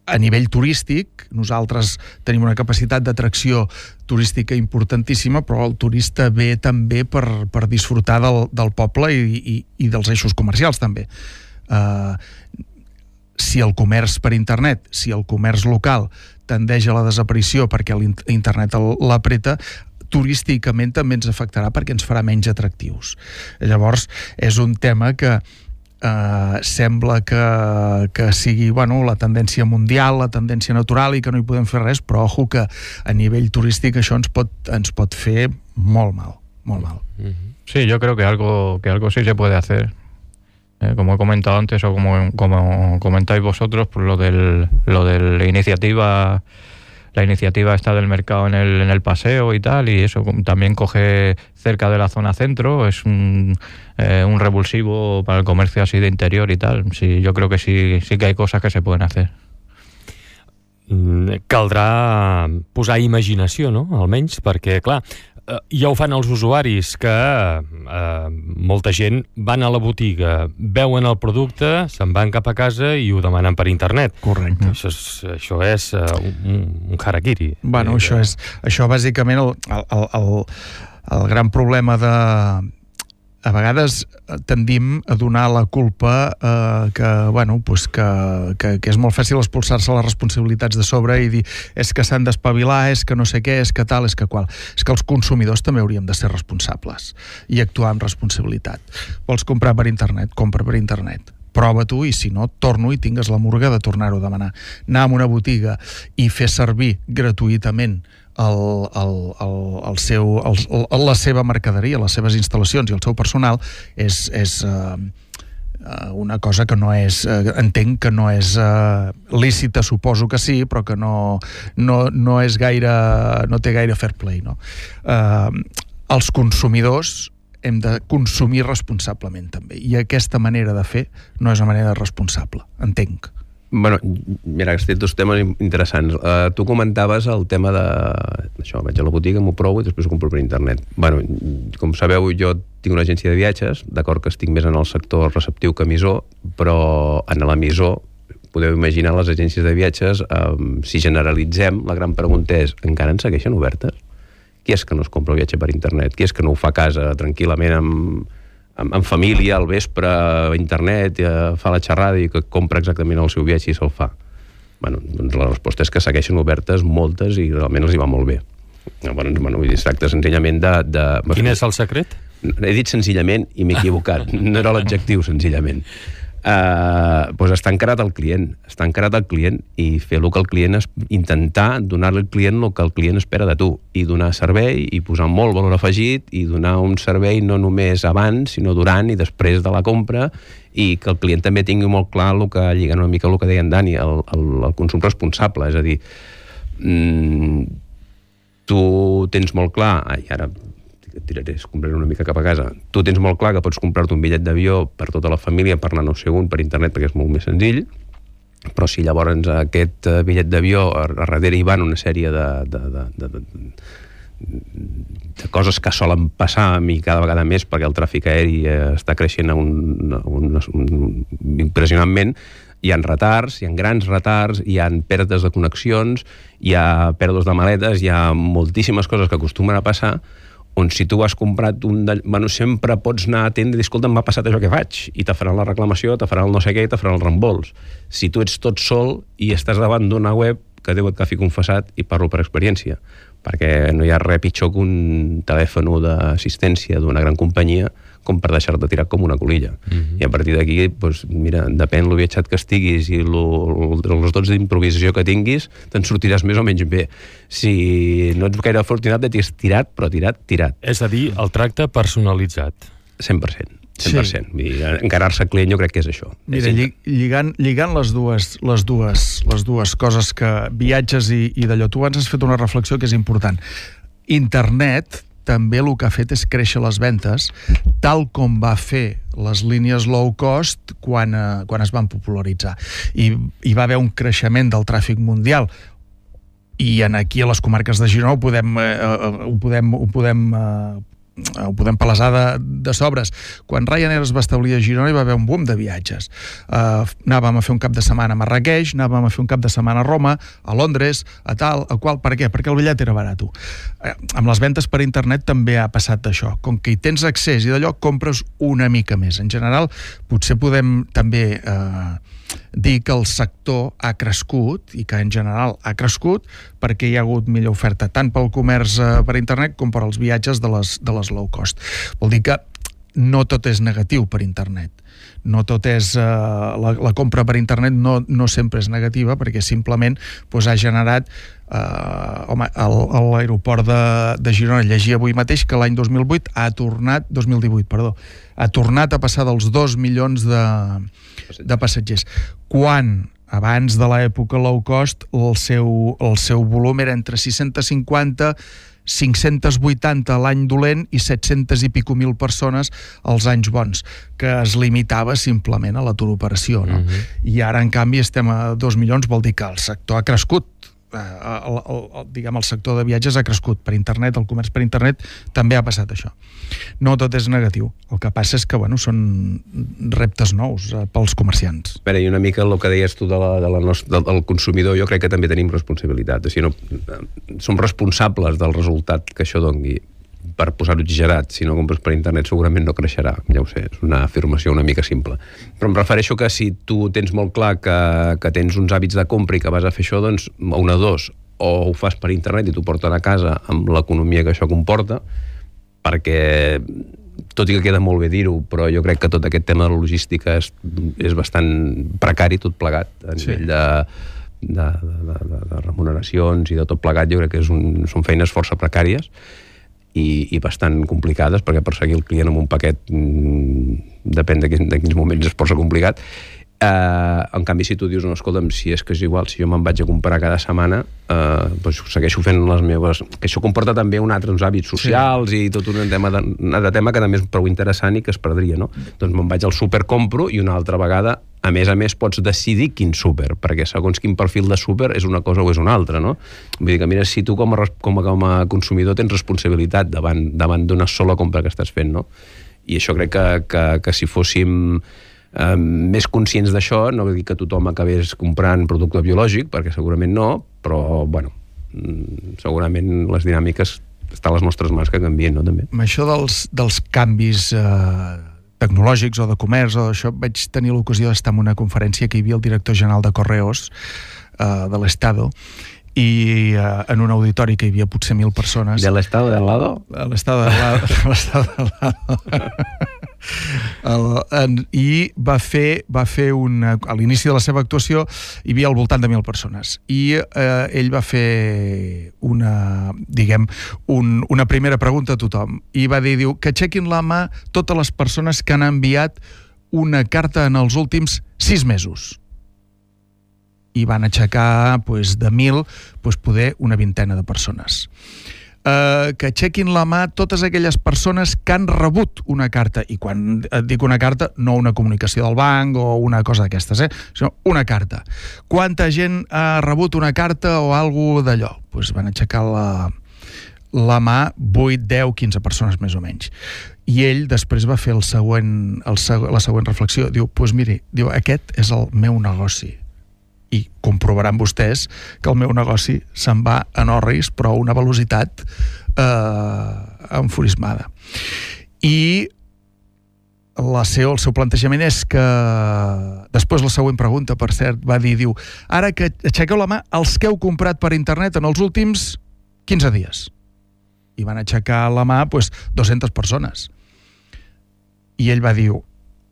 Speaker 3: A nivell turístic, nosaltres tenim una capacitat d'atracció turística importantíssima, però el turista ve també per disfrutar del poble i dels eixos comercials també. Si el comerç per internet, si el comerç local tendeix a la desaparició perquè l'internet l'apreta, turísticament també ens afectarà perquè ens farà menys atractius. Llavors, és un tema que sembla que sigui la tendència mundial, la tendència natural i que no hi podem fer res, però ojo que a nivell turístic això ens pot fer molt mal, molt mal.
Speaker 2: Sí, yo creo que algo sí se puede hacer. Como he comentado antes o como comentáis vosotros, pues lo de la iniciativa esta del mercado en el paseo y tal, y eso también coge cerca de la zona centro, es un revulsivo para el comercio así de interior y tal. Sí, yo creo que sí que hay cosas que se pueden hacer.
Speaker 1: Caldrà posar imaginació, no? Almenys, perquè, clar, ja ho fan els usuaris, que molta gent van a la botiga, veuen el producte, se'n van cap a casa i ho demanen per internet.
Speaker 3: Correcte.
Speaker 1: Això és un harakiri.
Speaker 3: Bueno, això bàsicament el gran problema a vegades tendim a donar la culpa que és molt fàcil expulsar-se les responsabilitats de sobre i dir és que s'han d'espavilar, és que no sé què, és que tal, és que qual. És que els consumidors també hauríem de ser responsables i actuar amb responsabilitat. Vols comprar per internet? Compra per internet. Prova tu i si no, torno i tingues la murga de tornar-ho a demanar. Anar a una botiga i fer servir gratuïtament la seva mercaderia, les seves instal·lacions i el seu personal és una cosa que no és, entenc que no és lícita, suposo que sí, però que no és gaire, no té gaire fair play, no? Els consumidors hem de consumir responsablement també, i aquesta manera de fer no és una manera responsable, entenc.
Speaker 4: Bueno, mira, has dit dos temes interessants. Tu comentaves el tema d'això, vaig a la botiga, m'ho provo i després ho compro per internet. Bueno, com sabeu, jo tinc una agència de viatges, d'acord que estic més en el sector receptiu que emissor, però en l'emissor podeu imaginar les agències de viatges, si generalitzem, la gran pregunta és, encara en segueixen obertes? Qui és que no es compra el viatge per internet? Qui és que no ho fa a casa tranquil·lament amb família, al vespre, a internet, fa la xerrada i que compra exactament el seu viatge i se'l fa? Bueno, doncs la resposta és que segueixen obertes moltes i realment els hi va molt bé. Bueno, es tracta senzillament de...
Speaker 1: Quin és el secret?
Speaker 4: He dit senzillament i m'he equivocat. No era l'adjectiu, senzillament. Doncs està encarat al client i fer el que el client intentar donar-li al client el que el client espera de tu i donar servei i posar molt valor afegit i donar un servei no només abans sinó durant i després de la compra i que el client també tingui molt clar el que lligant una mica el que deia en Dani, el consum responsable, és a dir, tu tens molt clar, i ara compraré una mica cap a casa, tu tens molt clar que pots comprar-te un bitllet d'avió per tota la família per anar no sé on per internet perquè és molt més senzill, però si llavors aquest bitllet d'avió a darrere hi van una sèrie de coses que solen passar a mi cada vegada més perquè el tràfic aeri està creixent impressionantment, hi ha retards, hi ha grans retards, hi ha pèrdues de connexions, hi ha pèrdues de maletes, hi ha moltíssimes coses que acostumen a passar on si tu has comprat sempre pots anar a atendre i dir, escolta, m'ha passat això que faig, i te faran la reclamació, te faran el no sé què i te faran el reembols. Si tu ets tot sol i estàs davant d'una web, que Déu et agafi confessat, i parlo per experiència, perquè no hi ha res pitjor que un telèfon d'assistència d'una gran companyia com per deixar-te tirar com una colilla. I a partir d'aquí, doncs, mira, depèn lo viatjat que estiguis i els dots d'improvisació que tinguis, te'n sortiràs més o menys bé. Si no ets gaire afortunat, t'has tirat, però tirat.
Speaker 1: És a dir, el tracte personalitzat.
Speaker 4: 100%. 100%. Sí. Encarar-se al client jo crec que és això.
Speaker 3: Mira, lligant les dues coses que viatges i d'allò, tu abans has fet una reflexió que és important. Internet també el que ha fet és créixer les ventes, tal com va fer les línies low cost quan es van popularitzar. I va haver un creixement del tràfic mundial, i aquí a les comarques de Girona ho podem palesar de sobres. Quan Ryanair es va establir a Girona hi va haver un boom de viatges. Anàvem a fer un cap de setmana a Marrakeix, anàvem a fer un cap de setmana a Roma, a Londres, a tal, a qual. Per què? Perquè el bitllet era barat. Amb les ventes per internet també ha passat això. Com que hi tens accés i d'allò compres una mica més. En general, potser podem també dir que el sector ha crescut i que en general ha crescut perquè hi ha hagut millor oferta tant pel comerç per internet com per als viatges de les low cost. Vol dir que no tot és negatiu per internet. No tot és... la compra per internet no sempre és negativa perquè simplement ha generat... a l'aeroport de Girona llegia avui mateix que l'any 2018 ha tornat a passar dels 2 milions de passatgers. Quan abans de l'època low cost el seu volum era entre 650 580 l'any dolent i 700 i pico mil persones als anys bons, que es limitava simplement a la turoperació, no? I ara, en canvi, estem a 2 milions, vol dir que el sector ha crescut. El sector de viatges ha crescut per internet, el comerç per internet també ha passat això. No tot és negatiu, el que passa és que són reptes nous pels comerciants.
Speaker 4: I una mica el que deies tu del consumidor, jo crec que també tenim responsabilitat, o sigui, som responsables del resultat que això doni. Per posar-ho exagerat, si no compres per internet segurament no creixerà, ja ho sé, és una afirmació una mica simple. Però em refereixo que si tu tens molt clar que tens uns hàbits de compra i que vas a fer això, doncs una de dos, o ho fas per internet i t'ho porten a casa amb l'economia que això comporta, perquè tot i que queda molt bé dir-ho, però jo crec que tot aquest tema de la logística és bastant precari, tot plegat, a nivell de remuneracions i de tot plegat. Jo crec que són feines força precàries i bastant complicades, perquè perseguir el client amb un paquet depèn de quins moments és força complicat. En canvi, si tu dius, no, escolta'm, si és que és igual, si jo me'n vaig a comprar cada setmana, doncs segueixo fent les meves... Que això comporta també uns hàbits socials i tot un altre tema que també és prou interessant i que es perdria, no? Doncs me'n vaig al súper, compro, i una altra vegada a més pots decidir quin súper, perquè segons quin perfil de súper és una cosa o és una altra, no? Vull dir que, mira, si tu com a consumidor tens responsabilitat davant d'una sola compra que estàs fent, no? I això crec que si fóssim més conscients d'això, no vull dir que tothom acabés comprant producte biològic, perquè segurament no, però, segurament les dinàmiques estan a les nostres mans que canvien, no? També.
Speaker 3: Amb això dels canvis tecnològics o de comerç o d'això, vaig tenir l'ocasió d'estar en una conferència que hi havia el director general de Correos de l'Estado, i en un auditori que hi havia potser 1.000 persones.
Speaker 4: ¿De l'Estado de al lado?
Speaker 3: De l'Estado de al lado. I va fer a l'inici de la seva actuació hi havia al voltant de 1.000 persones i ell va fer una primera pregunta a tothom i va dir, que aixequin la mà totes les persones que han enviat una carta en els últims 6 mesos. I van aixecar de 1.000 poder una vintena de persones. Que aixequin la mà totes aquelles persones que han rebut una carta, i quan dic una carta, no una comunicació del banc o una cosa d'aquestes, sinó una carta. Quanta gent ha rebut una carta o alguna d'allò? Van aixecar la mà 8, 10, 15 persones més o menys. I ell després va fer la següent reflexió. Diu, miri, aquest és el meu negoci. I comprovaran vostès que el meu negoci se'n va en orris, però a una velocitat enfurismada. I el seu plantejament és que després la següent pregunta, per cert, va dir, ara que aixequeu la mà els que heu comprat per internet en els últims 15 dies. I van aixecar la mà 200 persones. I ell va dir,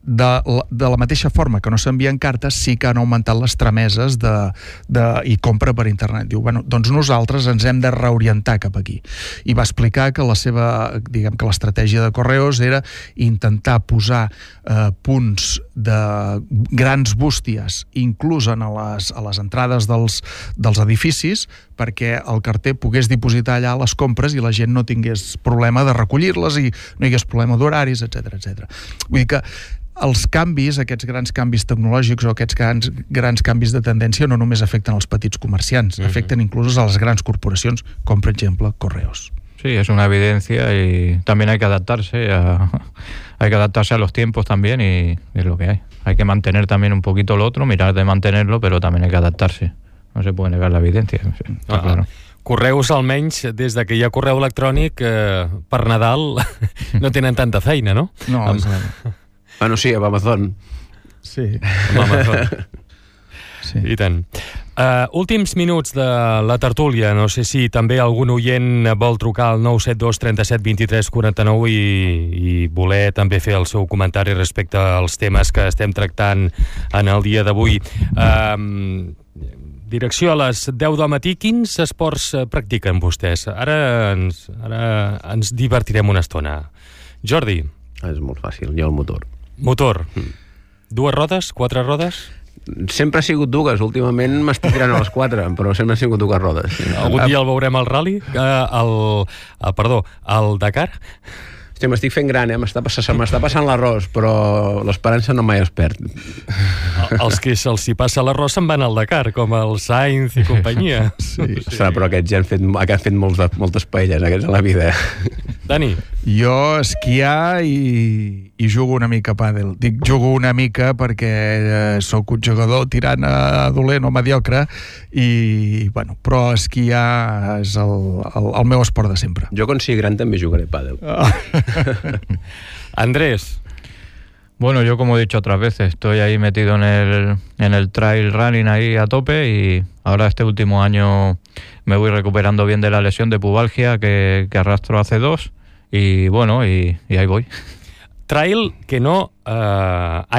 Speaker 3: de la mateixa forma que no s'envien cartes, sí que han augmentat les trameses i compra per internet. Diu, doncs nosaltres ens hem de reorientar cap aquí. I va explicar que l'estratègia de Correos era intentar posar punts de grans bústies inclús a les entrades dels edificis perquè el carter pogués dipositar allà les compres i la gent no tingués problema de recollir-les i no hi hagués problema d'horaris, etc. Vull dir que els canvis, aquests grans canvis tecnològics o aquests grans canvis de tendència no només afecten els petits comerciants, afecten inclús a les grans corporacions, com per exemple Correos.
Speaker 2: Sí, es una evidencia y también hay que adaptarse a los tiempos también y es lo que hay. Hay que mantener también un poquito lo otro, mirar de mantenerlo, pero también hay que adaptarse. No se puede negar la evidencia, está claro.
Speaker 1: Correus, almenys, des de que hi ha correu electrònic, per Nadal no tenen tanta feina, no?
Speaker 3: No,
Speaker 4: Bueno, sí, amb Amazon.
Speaker 3: Sí.
Speaker 1: Amb Amazon.
Speaker 3: Sí.
Speaker 1: I tant. Últims minuts de la tertúlia. No sé si també algun oient vol trucar al 972 37 23 49 i voler també fer el seu comentari respecte als temes que estem tractant en el dia d'avui. Direcció a les 10 del matí. Quins esports practiquen vostès? Ara ens divertirem una estona. Jordi.
Speaker 4: És molt fàcil, jo el motor.
Speaker 1: Motor. 2 rodes? 4 rodes?
Speaker 4: Sempre ha sigut dues. Últimament m'estic tirant a les 4, però sempre ha sigut 2 rodes.
Speaker 1: Algun dia el veurem al rally? Al Dakar?
Speaker 4: Hòstia, m'estic fent gran, m'està passant l'arròs, però l'esperança no mai es perd.
Speaker 1: Els que se'ls hi passa l'arròs se'n van al Dakar, com el Sainz i companyia.
Speaker 4: Sí. Però aquests ja han fet moltes paelles, aquests a la vida.
Speaker 1: Dani?
Speaker 3: Jo esquiar i jugo una mica a pàdel. Dic jugo una mica perquè sóc un jugador tirant a dolent o mediocre però esquiar és el meu esport de sempre.
Speaker 4: Jo quan sigui gran també jugaré a pàdel.
Speaker 1: Andrés.
Speaker 2: Bueno, yo como he dicho otras veces, estoy ahí metido en el trail running ahí a tope y ahora este último año me voy recuperando bien de la lesión de pubalgia que arrastro hace 2 y bueno, y ahí voy.
Speaker 1: Trail que no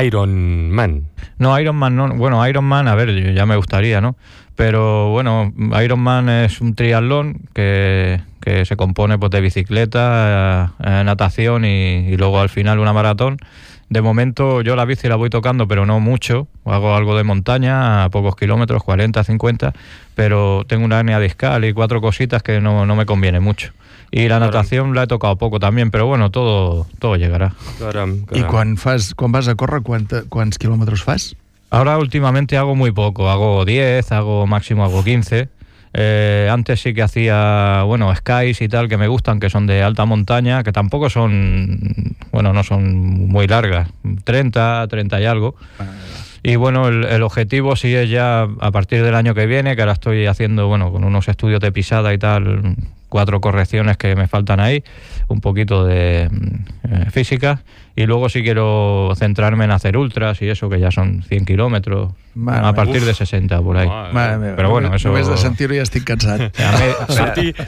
Speaker 1: Ironman.
Speaker 2: No, Ironman no. Bueno, Ironman, a ver, ya me gustaría, ¿no? Pero bueno, Ironman es un triatlón que se compone pues de bicicleta, natación y luego al final una maratón. De momento yo la bici la voy tocando, pero no mucho. Hago algo de montaña a pocos kilómetros, 40, 50, pero tengo una hernia discal y 4 cositas que no me conviene mucho. Y la natación la he tocado poco también, pero bueno, todo llegará.
Speaker 1: Caram.
Speaker 3: I quan vas a córrer, quants quilòmetres fas?
Speaker 2: Ahora últimamente hago muy poco, hago 10, máximo hago 15. Antes sí que hacía, skies y tal, que me gustan, que son de alta montaña, que tampoco son, no son muy largas, 30 y algo. Y bueno, el objetivo sí es ya a partir del año que viene, que ahora estoy haciendo, con unos estudios de pisada y tal, 4 correcciones que me faltan ahí, un poquito de física, y luego sí quiero centrarme en hacer ultras y eso, que ya son 100 kilómetros, a partir de 60 por ahí. Però bueno, eso... Només
Speaker 3: de sentir-ho ja estic cansat.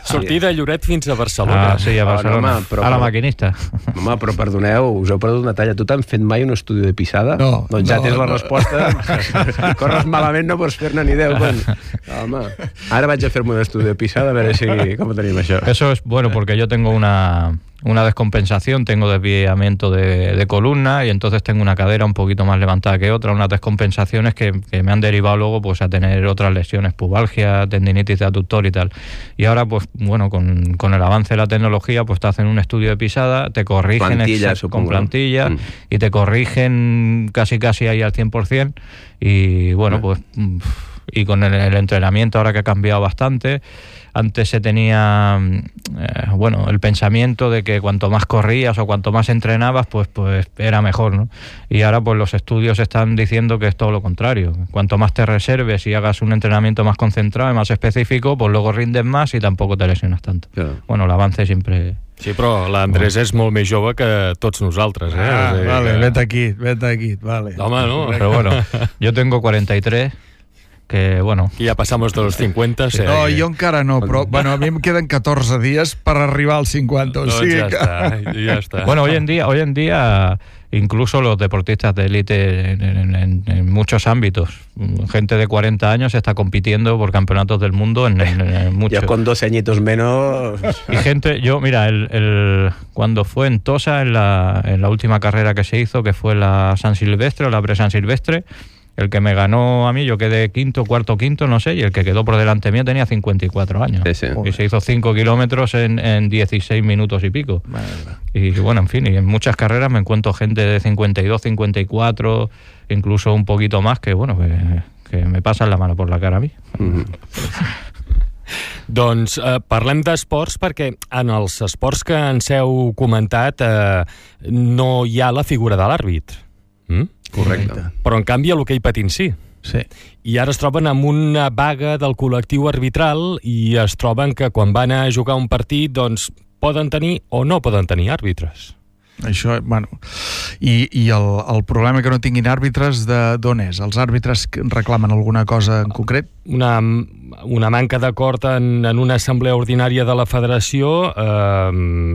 Speaker 1: Sortir de Lloret fins a Barcelona.
Speaker 2: Sí, a Barcelona, a la maquinista.
Speaker 4: Home, però perdoneu, us heu perdut una talla. Tu t'han fet mai un estudi de pisada?
Speaker 3: No.
Speaker 4: Doncs ja tens la resposta. Corres malament, no pots fer-ne ni 10. Home, ara vaig a fer-me un estudi de pisada a veure com ho tenim això.
Speaker 2: Eso es bueno porque yo tengo una descompensación, tengo desviamiento de columna y entonces tengo una cadera un poquito más levantada que otra, unas descompensaciones que me han derivado luego pues a tener otras lesiones, pubalgia, tendinitis de aductor y tal. Y ahora pues con el avance de la tecnología pues te hacen un estudio de pisada, te corrigen con plantilla y te corrigen casi ahí al 100% y pues y con el entrenamiento ahora que ha cambiado bastante. Antes se tenía el pensamiento de que cuanto más corrías o cuanto más entrenabas pues era mejor, ¿no? Y ahora pues los estudios están diciendo que es todo lo contrario. Cuanto más te reserves y hagas un entrenamiento más concentrado y más específico, pues luego rindes más y tampoco te lesionas tanto. Claro. Bueno, el avance siempre...
Speaker 1: Sí, però l'Andrés és molt més jove que tots nosaltres, eh?
Speaker 3: Vale, vete aquí, vale.
Speaker 1: Home, no?
Speaker 2: Pero yo tengo 43... que
Speaker 1: Y ya pasamos de los 50.
Speaker 3: No, yo encara no, però a mí me quedan 14 días para arribar als 50.
Speaker 1: O sigui ya está.
Speaker 2: Bueno, hoy en día incluso los deportistas de élite en muchos ámbitos, gente de 40 años está compitiendo por campeonatos del mundo en muchos.
Speaker 4: Yo con 2 añitos menos...
Speaker 2: Y gente, cuando fue en Tosa, en la última carrera que se hizo, que fue la San Silvestre o la Pre-San Silvestre, el que me ganó a mí, yo quedé quinto, no sé, y el que quedó por delante mío tenía 54 años.
Speaker 4: Sí.
Speaker 2: Y se hizo 5 kilómetros en 16 minutos y pico. Y bueno, en fin, y en muchas carreras me encuentro gente de 52, 54, incluso un poquito más, que bueno, que me pasan la mano por la cara a mi.
Speaker 1: Doncs parlem d'esports perquè en els esports que ens heu comentat no hi ha la figura de l'àrbit.
Speaker 4: Correcte.
Speaker 1: Però en canvi a l'hoquei patins sí.
Speaker 3: Sí.
Speaker 1: I ara es troben amb una vaga del col·lectiu arbitral i es troben que quan van a jugar un partit doncs poden tenir o no poden tenir àrbitres.
Speaker 3: Això, bueno, i el problema que no tinguin àrbitres d'on és? Els àrbitres reclamen alguna cosa en concret?
Speaker 1: Una manca d'acord en una assemblea ordinària de la federació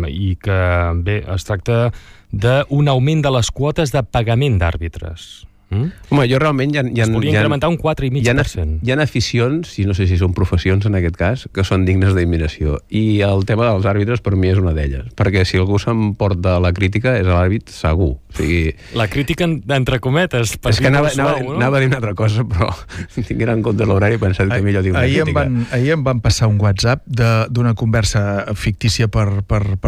Speaker 1: i que, bé, es tracta d'un augment de les quotes de pagament d'àrbitres.
Speaker 4: Home, jo realment
Speaker 1: es volia incrementar un 4,5%.
Speaker 4: Hi ha aficions, i no sé si són professions en aquest cas, que són dignes d'admiració. I el tema dels àrbitres per mi és una d'elles. Perquè si algú s'emporta la crítica és l'àrbit segur. O sigui...
Speaker 1: La crítica entre cometes.
Speaker 4: És que anava a dir una altra cosa, però tinguin en compte l'horari i pensat que millor dic una crítica.
Speaker 3: Ahir em van passar un WhatsApp d'una conversa fictícia per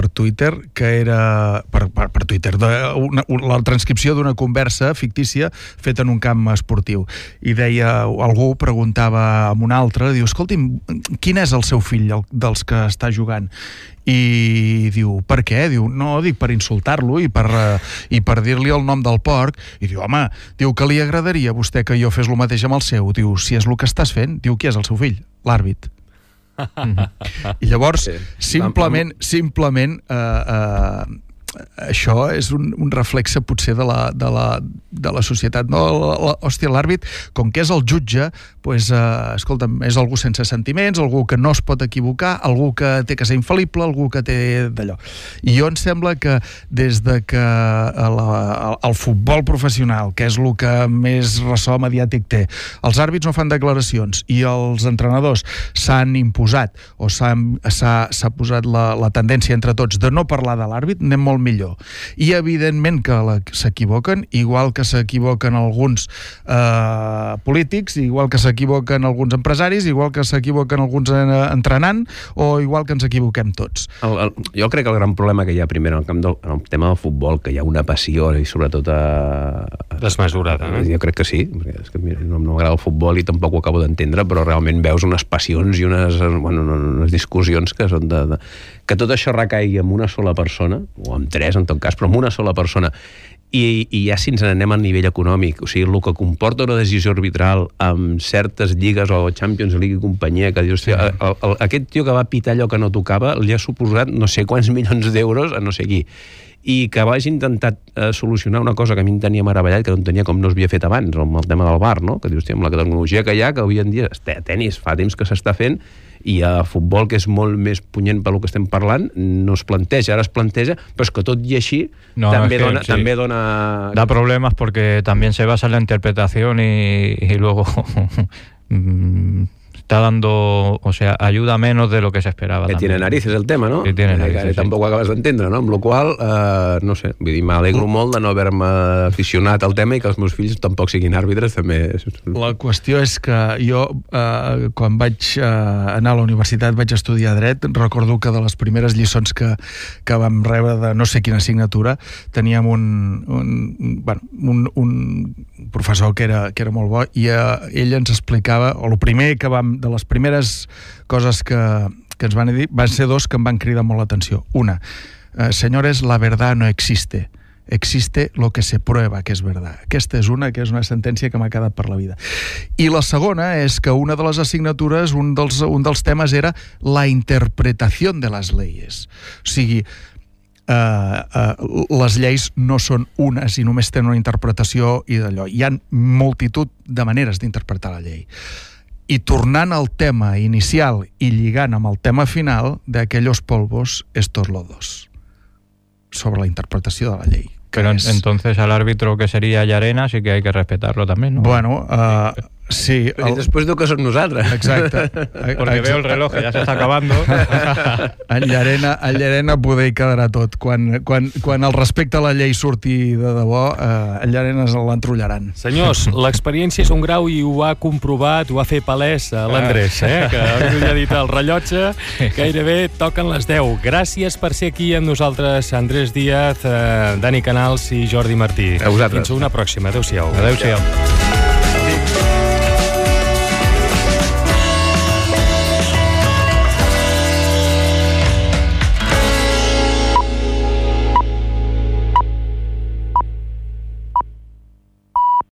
Speaker 3: Twitter, que era... Per Twitter, la transcripció d'una conversa fictícia fet en un camp esportiu. I deia, algú preguntava a un altre, diu, escolti'm, quin és el seu fill dels que està jugant? I diu, per què? Diu, no, dic, per insultar-lo i per dir-li el nom del porc. I diu, home, diu que li agradaria a vostè que jo fes el mateix amb el seu. Diu, si és el que estàs fent, diu, qui és el seu fill? L'àrbit. I llavors, simplement això és un reflexe potser de la societat, no? Hòstia, l'àrbit, com que és el jutge, doncs, escolta'm, és algú sense sentiments, algú que no es pot equivocar, algú que té que ser infal·lible, algú que té d'allò. I jo em sembla que des de que el futbol professional, que és el que més ressò mediàtic té, els àrbits no fan declaracions i els entrenadors s'han imposat o s'ha posat la tendència entre tots de no parlar de l'àrbit, anem molt millor. I evidentment que s'equivoquen, igual que s'equivoquen alguns polítics, igual que s'equivoquen alguns empresaris, igual que s'equivoquen alguns entrenant, o igual que ens equivoquem tots.
Speaker 4: Jo crec que el gran problema que hi ha primer en el tema del futbol, que hi ha una passió i sobretot
Speaker 1: desmesurada, no?
Speaker 4: Jo crec que sí, perquè és que no m'agrada el futbol i tampoc ho acabo d'entendre, però realment veus unes passions i unes discussions que són que tot això recaigui en una sola persona, o en tres en tot cas, però en una sola persona, i ja si ens n'anem al nivell econòmic, o sigui, el que comporta una decisió arbitral amb certes lligues o Champions League i companyia, que dius, aquest tio que va pitar allò que no tocava li ha suposat no sé quants milions d'euros a no sé qui, i que vagi intentat solucionar una cosa que a mi em tenia meravellat, que no entenia com no s'havia fet abans, amb el tema del VAR, no? Que dius, amb la tecnologia que hi ha, que avui en dia a tenis fa temps que s'està fent, i a futbol, que és molt més punyent pel que estem parlant, no es planteja. Ara es planteja, però és que tot i així també dona...
Speaker 2: Da problemas porque también se basa en la interpretación y luego está dando, o sea, ayuda menos de lo que se esperaba.
Speaker 4: Que tiene narices el tema, no?
Speaker 2: Que tiene narices,
Speaker 4: tampoc ho acabes d'entendre, no? Amb la qual no sé, vull dir, m'alegro molt de no haver-me aficionat al tema i que els meus fills tampoc siguin àrbitres, també.
Speaker 3: La qüestió és que jo, quan vaig anar a la universitat, vaig estudiar dret, recordo que de les primeres lliçons que vam rebre de no sé quina assignatura, teníem un professor que era molt bo, i ell ens explicava, o el primer que de les primeres coses que ens van dir, van ser dos que em van cridar molt l'atenció. Una, señores, la verdad no existe. Existe lo que se prueba que es verdad. Aquesta és una sentència que m'ha quedat per la vida. I la segona és que una de les assignatures, un dels temes era la interpretació de les leyes. O sigui, les lleis no són unes i només tenen una interpretació i d'allò. Hi ha multitud de maneres d'interpretar la llei. I tornant al tema inicial i lligant amb el tema final, de aquellos polvos, estos lodos, sobre la interpretació de la llei.
Speaker 2: Pero entonces al árbitro que sería Llarena sí que hay que respetarlo también, ¿no?
Speaker 3: Bueno, Sí.
Speaker 4: I després diu que som nosaltres.
Speaker 3: Exacte.
Speaker 2: Porque veo el reloj que ya se está acabando.
Speaker 3: En Llarena poder hi quedarà tot. Quan el respecte a la llei surti de debò, en Llarena l'entrotllaran.
Speaker 1: Senyors, l'experiència és un grau i ho ha comprovat, ho ha fet palès l'Andrés, que ja ha dit el rellotge, gairebé toquen les 10. Gràcies per ser aquí amb nosaltres, Andrés Díaz, Dani Canals i Jordi Martí.
Speaker 4: A vosaltres.
Speaker 1: Fins una pròxima. Adéu-siau.
Speaker 2: Adéu-siau.